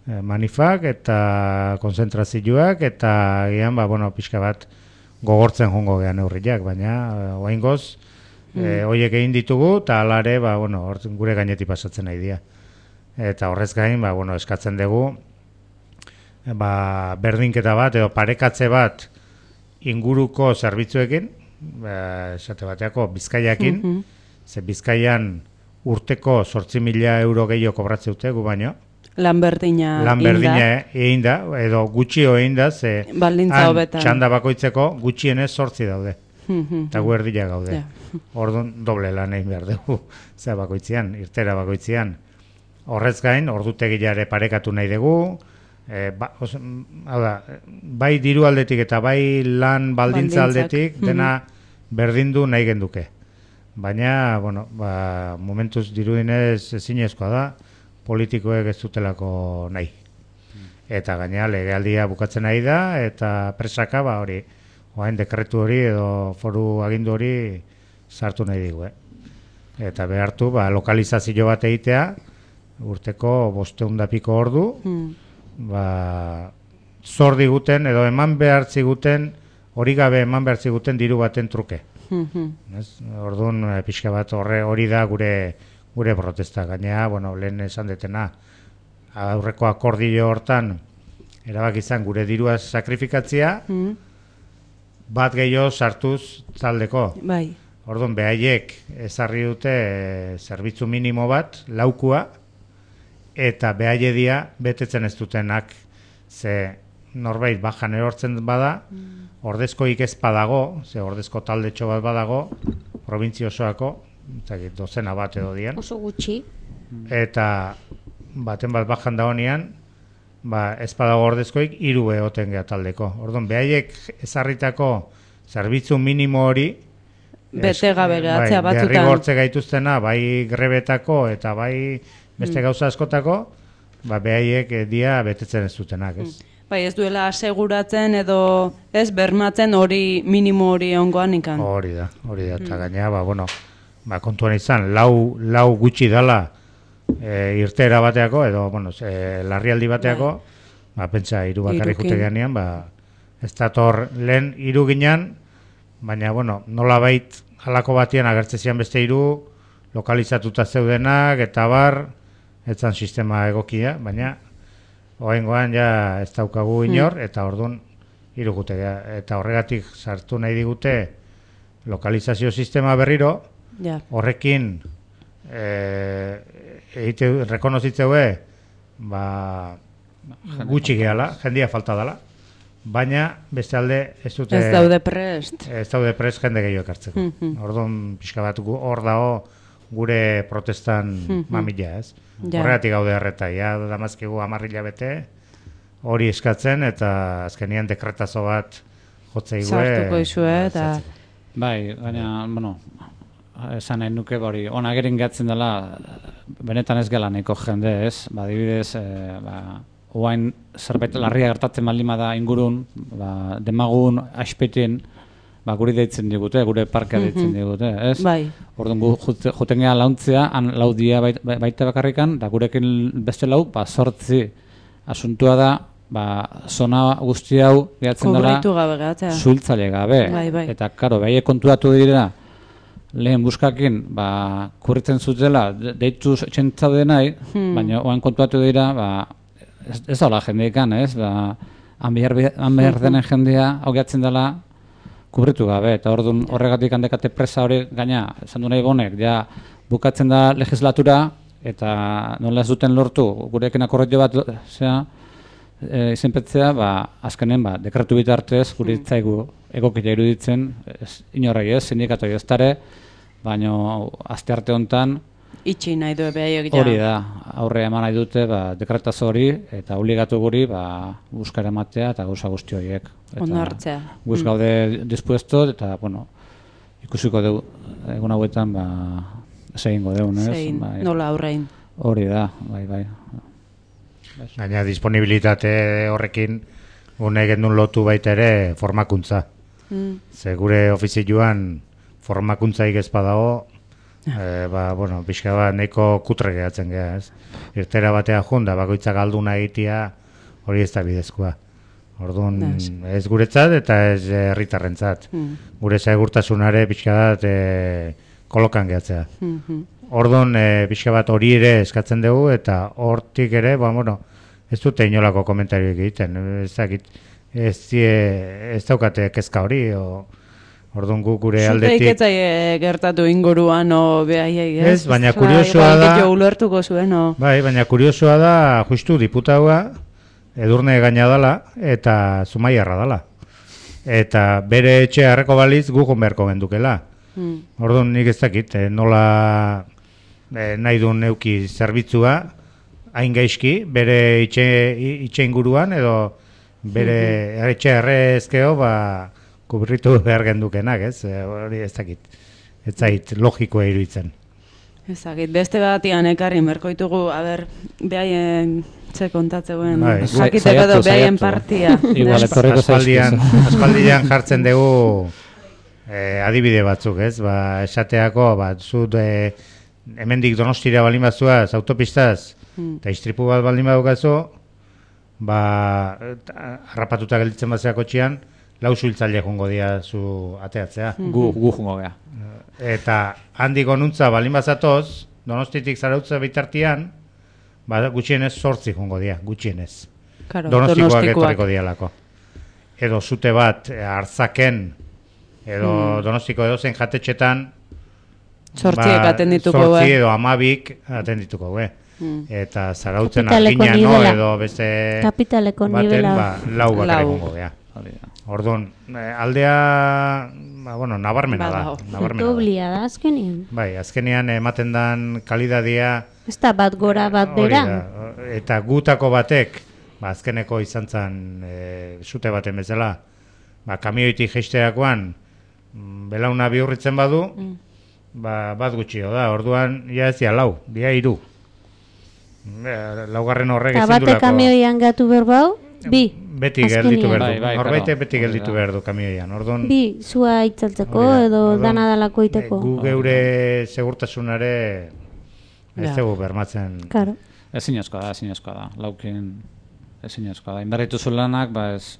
manifak eta konzentrazioak eta gian ba bueno pixka bat gogortzen jongo gean neurriak, baina oraingoz mm. e, hoiek egin ditugu eta alare ba bueno gure gainetik pasatzen nahi dira. Eta horrez gain ba bueno eskatzen dugu ba berdinketa bat edo parekatze bat inguruko zerbitzuekin, ba esate bateako Bizkaiakin, mm-hmm. ze Bizkaian urteko zortzi mila euro gehiago kobratzen dute gu baino. Lan berdina Lan berdina egin da, edo gutxio egin da, ze txanda bakoitzeko gutxienez zortzi daude. Eta gu erdila gaude. Yeah. Orduan doble lan egin behar dugu, zera bakoitzean, irtera bakoitzean. Horrez gain, ordutegilare parekatu nahi dugu, e, ba, os, da, bai diru aldetik eta bai lan baldintza aldetik, dena berdindu nahi genduke. Baina, bueno, ba, momentuz dirudinez ezinezkoa da, politikoek ez dutelako nahi. Eta gainera legealdia bukatzen nahi da, eta presaka ba hori, oain dekretu hori edo foru agindu hori sartu nahi digu. Eh? Eta behartu ba, lokalizazio bat egitea, urteko bosteun da piko ordu, hmm. ba, zor diguten edo eman behar ziguten, hori gabe eman behar ziguten diru baten truke. Mm-hmm. Orduan pixka bat horre hori da gure gure protesta. Gainea, bueno, lehen esan detena, aurreko akordio hortan, erabak izan gure dirua sakrifikatzia, mm. bat gehiago sartuz taldeko. Bai. Orduan, behaiek ezarri dute e, zerbitzu minimo bat, laukua, eta behaie dia betetzen ez dutenak, ze norbait bajan erortzen bada, mm. ordezkoik ez badago, ze ordezko taldetxo bat badago, provintzia osoako, dozena bat edo dian. Oso gutxi. Eta baten bat bajan da honean, ba, ez badago ordezkoik hiru egoten geha taldeko. Orduan, behaiek ezarritako zerbitzu minimo hori bete gabe gehatzea bai, batzutan. Derrigortze gaituztena, bai grebetako eta bai beste mm. gauza askotako, ba, behaiek dia betetzen ez dutenak, ez? Mm. Bai, ez duela aseguratzen edo ez bermatzen hori minimo hori ongoan ikan. Hori da, hori da, eta mm. gainea, ba, bueno, ba, kontuan izan, lau, lau gutxi dala e, irtera bateako, edo, bueno, e, larrialdi bateako, ba, pentsa, hiru bakarrik jute geanean, ba, ez dator lehen hiru ginean, baina, bueno, nola bait, halako batian agertzezian beste hiru lokalizatuta zeudenak, eta bar, etzan sistema egokia, baina, oaingoan ja ez daukagu inor, hmm. eta orduan hiru gute, eta horregatik sartu nahi digute lokalizazio sistema berriro, ja. Horrekin e, egite rekonozitzeue ba, gutxi gehala, jendia falta dela, baina beste alde ez dute ez daude prest ez daude prest jende gehiago ekartzeko. Mm-hmm. Orduan pixka bat hor dago gure protestan mm-hmm. mamila, ez? Ja. Horregatik gaude harreta, ja, damazkigu amarrila bete hori eskatzen, eta azkenian dekretazo bat jotzeigue sartuko izue, eta bai, baina, bueno, esan nahi nuke bori, ona gerin gatzen dela, benetan ez gela nahiko jende, ez? Ba, dibidez, e, ba, oain zerbait larria gertatzen baldin bada ingurun, ba, demagun, aspetien, ba, guri deitzen digute, gure parkea deitzen mm-hmm. digute, ez? Bai. Orduan gu juten geha launtzea, han lau dia bait, baita bakarrikan, da gurekin beste lau, ba, sortzi asuntua da, ba, zona guzti hau gehatzen dela zuhiltzaile gabe. Bai, bai. Eta, karo, behaiek kontuatu dira, lehen buskakin, ba, kurritzen zutela, deitu txentzaude nahi, hmm. baina oan kontuatu dira, ba, ez, ez daula jendeikan, ez? Ba, han behar denen jendea, hau gehatzen dela, kubritu gabe, eta orduan horregatik handekate presa hori gaina, esan du nahi bonek, ja, bukatzen da legislatura, eta nola ez duten lortu, gurekin akordio bat, zera, e, izenpetzea, ba, azkenen, ba, dekretu bitartez, gure itzaigu egokila iruditzen, ez, inorrai ez, sindikatoi ez tare, baina aste arte honetan, Itxi nahi du behaiek ja. Hori da, aurre eman nahi dute, ba, dekretazo hori, eta obligatu guri, ba, buskara ematea eta gauza guzti horiek. Ondo hartzea. Guz Mm. gaude dispuesto, eta, bueno, ikusiko dugu, egun hauetan, ba, zein godeun, ez? Zein, Bai. nola aurrein. Hori da, bai, bai. Gaina disponibilitate horrekin une gendun lotu baita ere formakuntza. Mm. Ze gure ofizioan formakuntzaik ez badago, e, ba, bueno, pixka bat nahiko kutre gehatzen geha, ez? Irtera batea junda, bakoitzak alduna egitea, hori ez da bidezkoa. Orduan, Ez. ez guretzat eta ez herritarrentzat. Mm. Gure segurtasunare pixka bat e, kolokan gehatzea. Mhm. Orduan, e, pixka bat hori ere eskatzen dugu, eta hortik ere, ba, bueno, ez dute inolako komentarioek egiten. Ez dakit, ez, die, ez daukate kezka hori, o, orduan gu gure Zuteik aldetik... etzai gertatu inguruan, o behaiei, ez? Ez, baina Ostra, kuriosoa igual da- gehiago ulertuko zuen, o... Bai, baina kuriosoa da, justu diputaua, Edurne gaina dala, eta Zumaiarra dala. Eta bere etxe harreko baliz gugun beharko gendukela. Mm. Orduan nik ez dakit, eh, nola eh, nahi duen neuki zerbitzua, hain gaizki, bere itxe, itxe inguruan, edo bere etxe errezkeo, ba, kubritu behar gendukenak, ez? Eh, Hori ez dakit, ez zait logikoa iruditzen. Ezagit, beste batian ekarri merkoitugu, a ber, behaien ze kontatzeuen, Bai, jakiteko edo saiatu, behaien saiatu. partia. Igual, Ez? etorriko Aspaldian, zaizkizu. aspaldian jartzen dugu eh, adibide batzuk, ez? Ba, esateako, ba, zut eh, hemendik Donostira baldin bazuaz, autopistaz, Mm. eta istripu bat baldin badukazu, ba, eta harrapatuta gelditzen batzea kotxian, lau suhiltzaile jongo dira zu ateatzea. Gu, gu jungo gea. Eta handik onuntza baldin bazatoz, Donostitik Zarautza bitartian, ba, gutxienez zortzi jongo dira, gutxienez. Claro, Donostikoak Donostikoak. etorriko dialako. Edo zute bat eh, Arzaken, edo Hmm. Donostiko edozein jatetxetan, Zortziek atendituko, zortzi eh? edo amabik atendituko, be. Mm. Eta Zarautzen Kapitaleko Argina, no, nivela. edo beste Kapitaleko baten, nivela. ba, lau bakarrik Lau. jongo gea. Hori da. Orduan, eh, aldea, ba, bueno, nabarmena da. Badago. Nabarmena da. Doblia da azkenean. Bai, azkenean ematen dan kalidadia Ez da bat gora bat hori bera. da. Eta gutako batek, ba, azkeneko izan zen e, sute baten bezala, ba, kamioitik jeisterakoan mm, belauna bihurritzen badu, Mm. ba, bat gutxio da, orduan, ja ez dia lau, dia hiru. Eh, Laugarren horrek Eta ezin bate duelako- kamioian gatu berbau, bi. Beti azkenean. gelditu behar Bai, du. bai, Norbaitek claro. beti Hori gelditu da. behar du kamioian. Orduan, Bi, zua itzaltzeko hori da. edo Orduan, dana dalako iteko. eh, gu geure segurtasunare ez Ja. dugu bermatzen. Claro. Ezinezkoa da, ezinezkoa da. Laukin ezinezkoa da. Inberrituzu lanak, ba ez...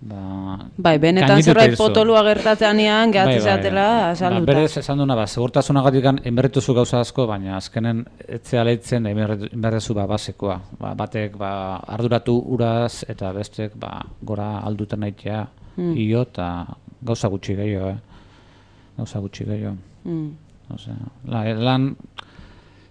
Ba, Bai, benetan gainditu zerbait egin zu. potolua gertatzeanean, gehatzen zatela, Ba, asalduta. berez esan duna, ba, segurtasunagatik inberrituzu gauza asko, baina azkenen etzea leitzen inberrezu ba, basekoa. Ba, batek ba, arduratu uraz eta bestek ba, gora alduten nahitea Mm. io eta gauza gutxi gehiago, eh? Gauza gutxi gehiago. Mm. Osea, la, lan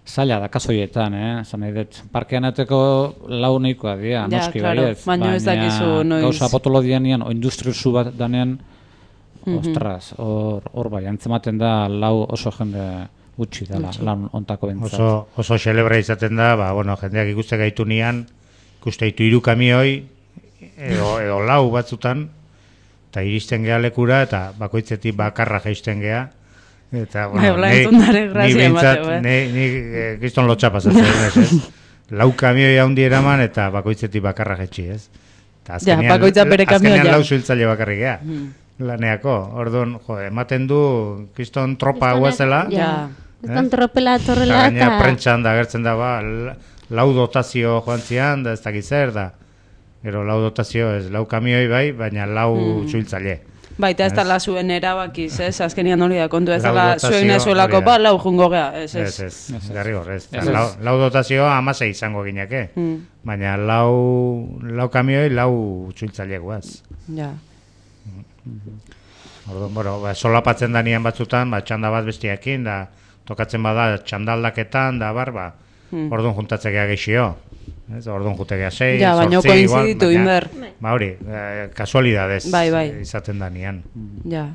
zaila da kasoietan, eh? Zan nahi dut, parkean eteko lau nahikoa dira, Ja, noski claro, baietz. baina ez dakizu noiz- Gauza potolo dianean, o industriusu bat danean, Mhm. ostras, hor, hor bai, antzematen da lau oso jende gutxi dela, lan ontako bentzat. Oso, oso celebra izaten da, ba, bueno, jendeak ikuste gaitu nian, ikuste ditu hiru kamioi, edo, edo lau batzutan, eta iristen gea lekura, eta bakoitzetik bakarra jaisten gea, eta, Bai, hola ni- entzun dare ni grazia behintzat, emateu, eh? ni, ni eh, kriston lotxa pasatzen, ez, ez? Lau kamioi handi eraman, eta bakoitzetik bakarra jaitsi, ez? Eta Ja, bakoitza bere kamioia. azkenean lau suhiltzaile bakarrik gea, Mm. laneako, orduan, jo, ematen du, kriston tropa guazela, Ja. Estan tropela Eta torrela gaina eta... prentxan da agertzen da, ba, la- lau dotazio joan zian, da ez dakit zer, da. Gero lau dotazio ez, lau kamioi bai, baina lau Mm. suhiltzaile. Baita ez Ez. dala zuen erabakiz, ez? Azkenian hori da kontu ez Lau dala dotazio, zuen ezuelako hori da. ba, lau jungo gea, ez, Ez, ez. ez, garri hor, ez. Ez, Lau, ez. lau dotazioa amasei izango gineke. Mm. Baina lau, lau kamioi, lau suhiltzaile guaz. Ja. Orduan, bueno, ba, solapatzen da nian batzutan, ba, txanda bat bestiakin, da, tokatzen bada txandaldaketan, da, bar, ba, Mm. orduan juntatzekea geixio. Ez, orduan jutekea sei, Ja, baino zortzi, igual, koinziditu baina- inber. Ba hori, eh, kasualidadez Bai, bai. izaten da nian, Ja.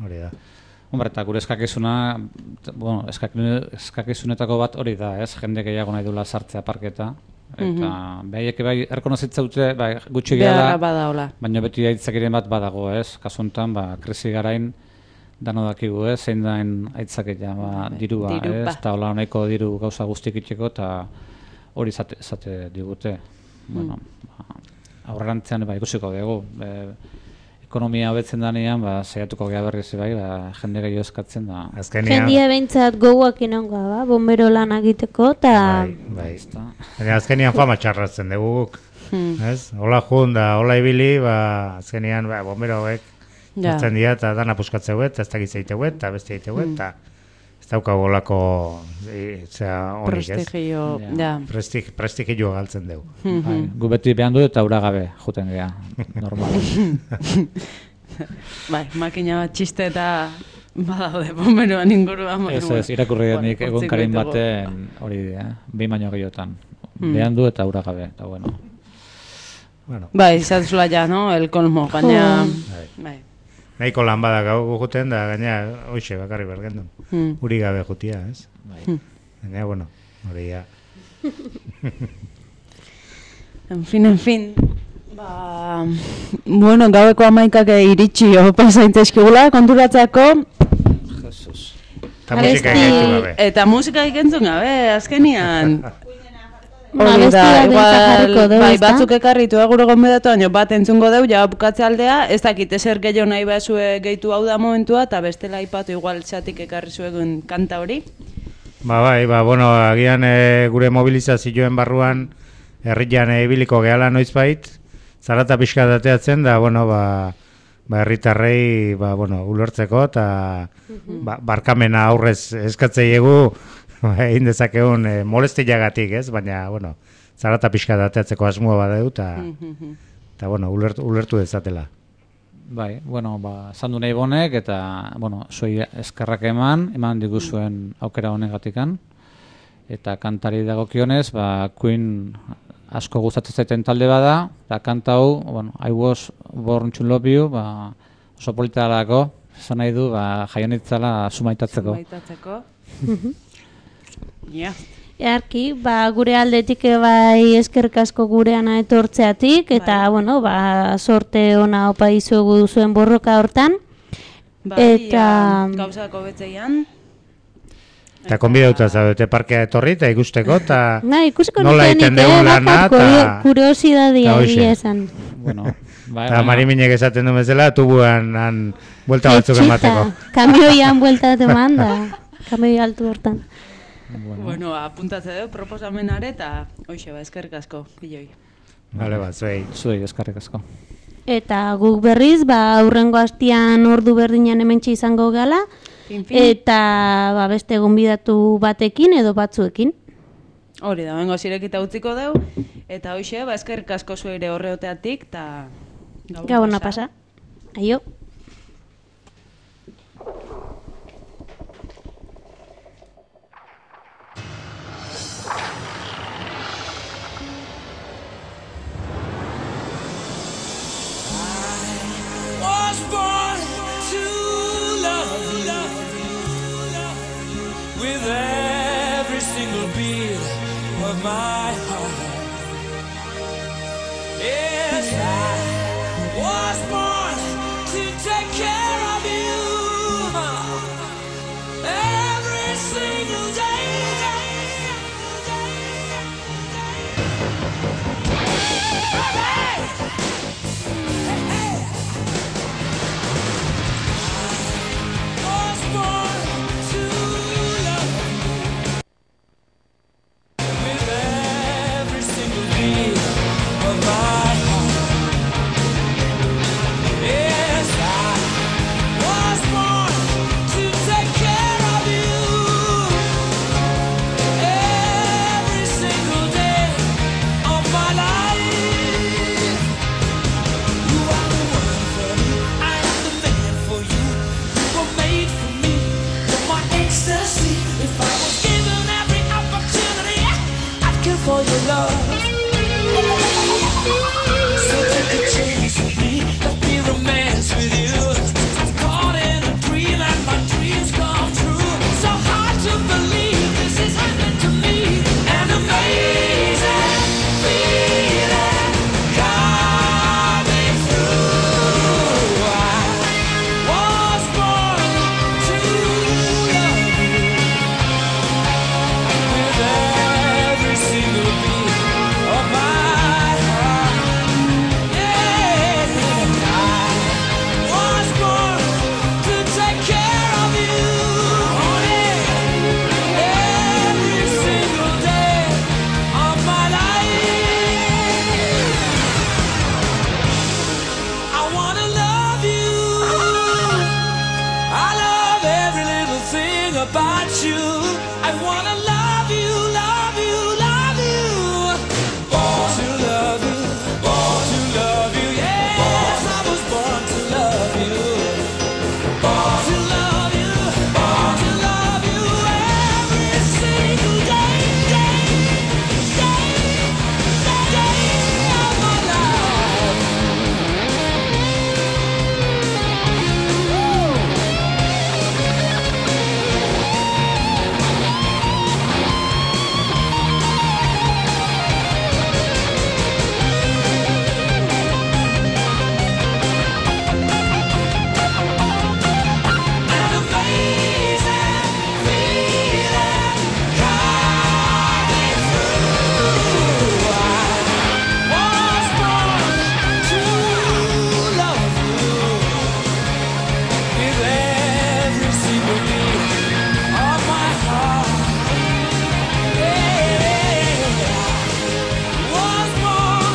hori da. Hombre, eta gure eskakizuna, bueno, eskakizunetako bat hori da, ez? Jende gehiago nahi dula sartzea parketa. Eta mm-hmm. behaiek bai erkonozitzaute, bai, gutxi gehala, baina beti aitzakiren bat badago, ez? Kasu honetan, ba, krisi garain dano dakigu, ez? Zein dain aitzaketa, ba, dirua, ez? Eta hola honeko diru gauza guztik itxeko, eta hori zate, zate digute. Mm. Bueno, ba, aurrerantzean, ba, ikusiko dugu. E, ekonomia hobetzen danean, ba, saiatuko gea berriz bai, ba, jende gehiago eskatzen da. Jendia behintzat goguak inongoa, ba, bombero lan egiteko, eta... Bai, bai. Baina azkenian fama txarratzen dugu guk, hmm. ez? Hola jun da, hola ibili, ba, azkenian, ba, bombero hauek, hartzen dira, eta dana puskatzeu et, eta ez dakiz egiteu et, eta beste egiteu et, eta ez daukagu olako, zera, honik, ez? Prestigio, ja. Prestig, prestigio galtzen dugu. Bai, gu beti behan du eta ura gabe, juten geha, normal. Bai, makina bat txiste eta badaude bomberoan inguruan. Ez ez, irakurri denik egun karin baten hori dira, behin baino gehiotan. Hmm. Behan du eta ura gabe, eta bueno. bueno. Bai, zatzula ja, no? El colmo, baina... Bai. bai. Nahiko lan bada gau juten da, gaina, hoxe, bakarri bergendun. Hmm. Uri gabe jutia, ez? Bai. Hmm. Gaina, bueno, hori ya. En fin, en fin. Ba, bueno, gaueko amaikak iritsi pasaintezkigula, konturatzeako. Jesus. Eta musika egaitu gabe. Eta musika egentzun gabe, azkenian. Hori da, igual, bai, batzuk ekarritu gure gonbidatu, baina bat entzungo deu, ja bukatze aldea, ez dakit ezer gehiago nahi behazue gehitu hau da momentua, eta bestela aipatu igual txatik ekarri zuegun kanta hori. Ba, bai, ba, bueno, agian e, gure mobilizazioen barruan, herrian ibiliko e, gehala noizbait, zarata pixka dateatzen, da, bueno, ba, ba herritarrei, ba, bueno, ulertzeko, eta ba, barkamena aurrez eskatzei egu, egin dezakegun e, molestiagatik, ez? Baina, bueno, zarata pixka dateatzeko asmoa badeu, eta, eta bueno, ulertu, ulertu dezatela. Bai, bueno, ba, zandu nahi bonek, eta, bueno, soi eskerrak eman, eman diguzuen aukera honegatikan, eta kantari dagokionez, ba, Queen asko gustatzen zaiten talde bada, eta kanta hau, bueno, I was born to love you, ba, oso politarako, esan nahi du, ba, jaionitzala sumaitatzeko. Sumaitatzeko. Ja. Earki, ba, gure aldetik bai eskerrik asko gureana etortzeatik, eta, bai. bueno, ba, sorte ona opa izuegu zuen borroka hortan. Bai, eta... gauzako betzeian. Eta konbidauta zaudete parkea etorri eta ikusteko, eta nola egiten dugu lana, eta... kuriosidadea egia esan. Bueno, bai, eta Mariminek esaten du bezala, tubuan han buelta batzuk emateko. Kamioian buelta bat eman da, kamioi altu hortan. Bueno, bueno apuntatze dugu proposamenare eta hoxe ba, eskerrik asko, piloi. Bale bat, zuei. Zuei, eskerrik asko. Eta guk berriz, ba, aurrengo hastian ordu berdinean hementxe izango gala, fin, fin. Eta ba, beste gonbidatu batekin edo batzuekin. Hori da, bengo zirekita utziko dugu, eta hoxe, ba, eskerrik asko zueire horreoteatik, eta gabona pasa. Aio. With every single beat of my heart, yes, I was born to take care of you every single day. I was born to for your love. So take a chance with me, let me romance with you. I'm caught in a dream and my dream about you. I wanna love you, love you, love you. Born to love you, born to love you. Yes, I was born to love you. Born to love you, born to love you every single day, day, day, day of my life. An amazing feeling coming through. I was born to love you with every single beat of my heart. Yeah, was born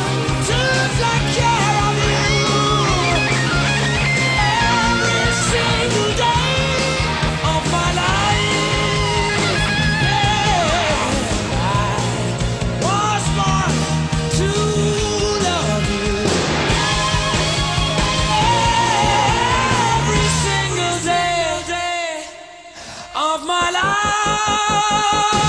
to take care of you every single day of my life. Yeah, I was born to love you every single day of my life.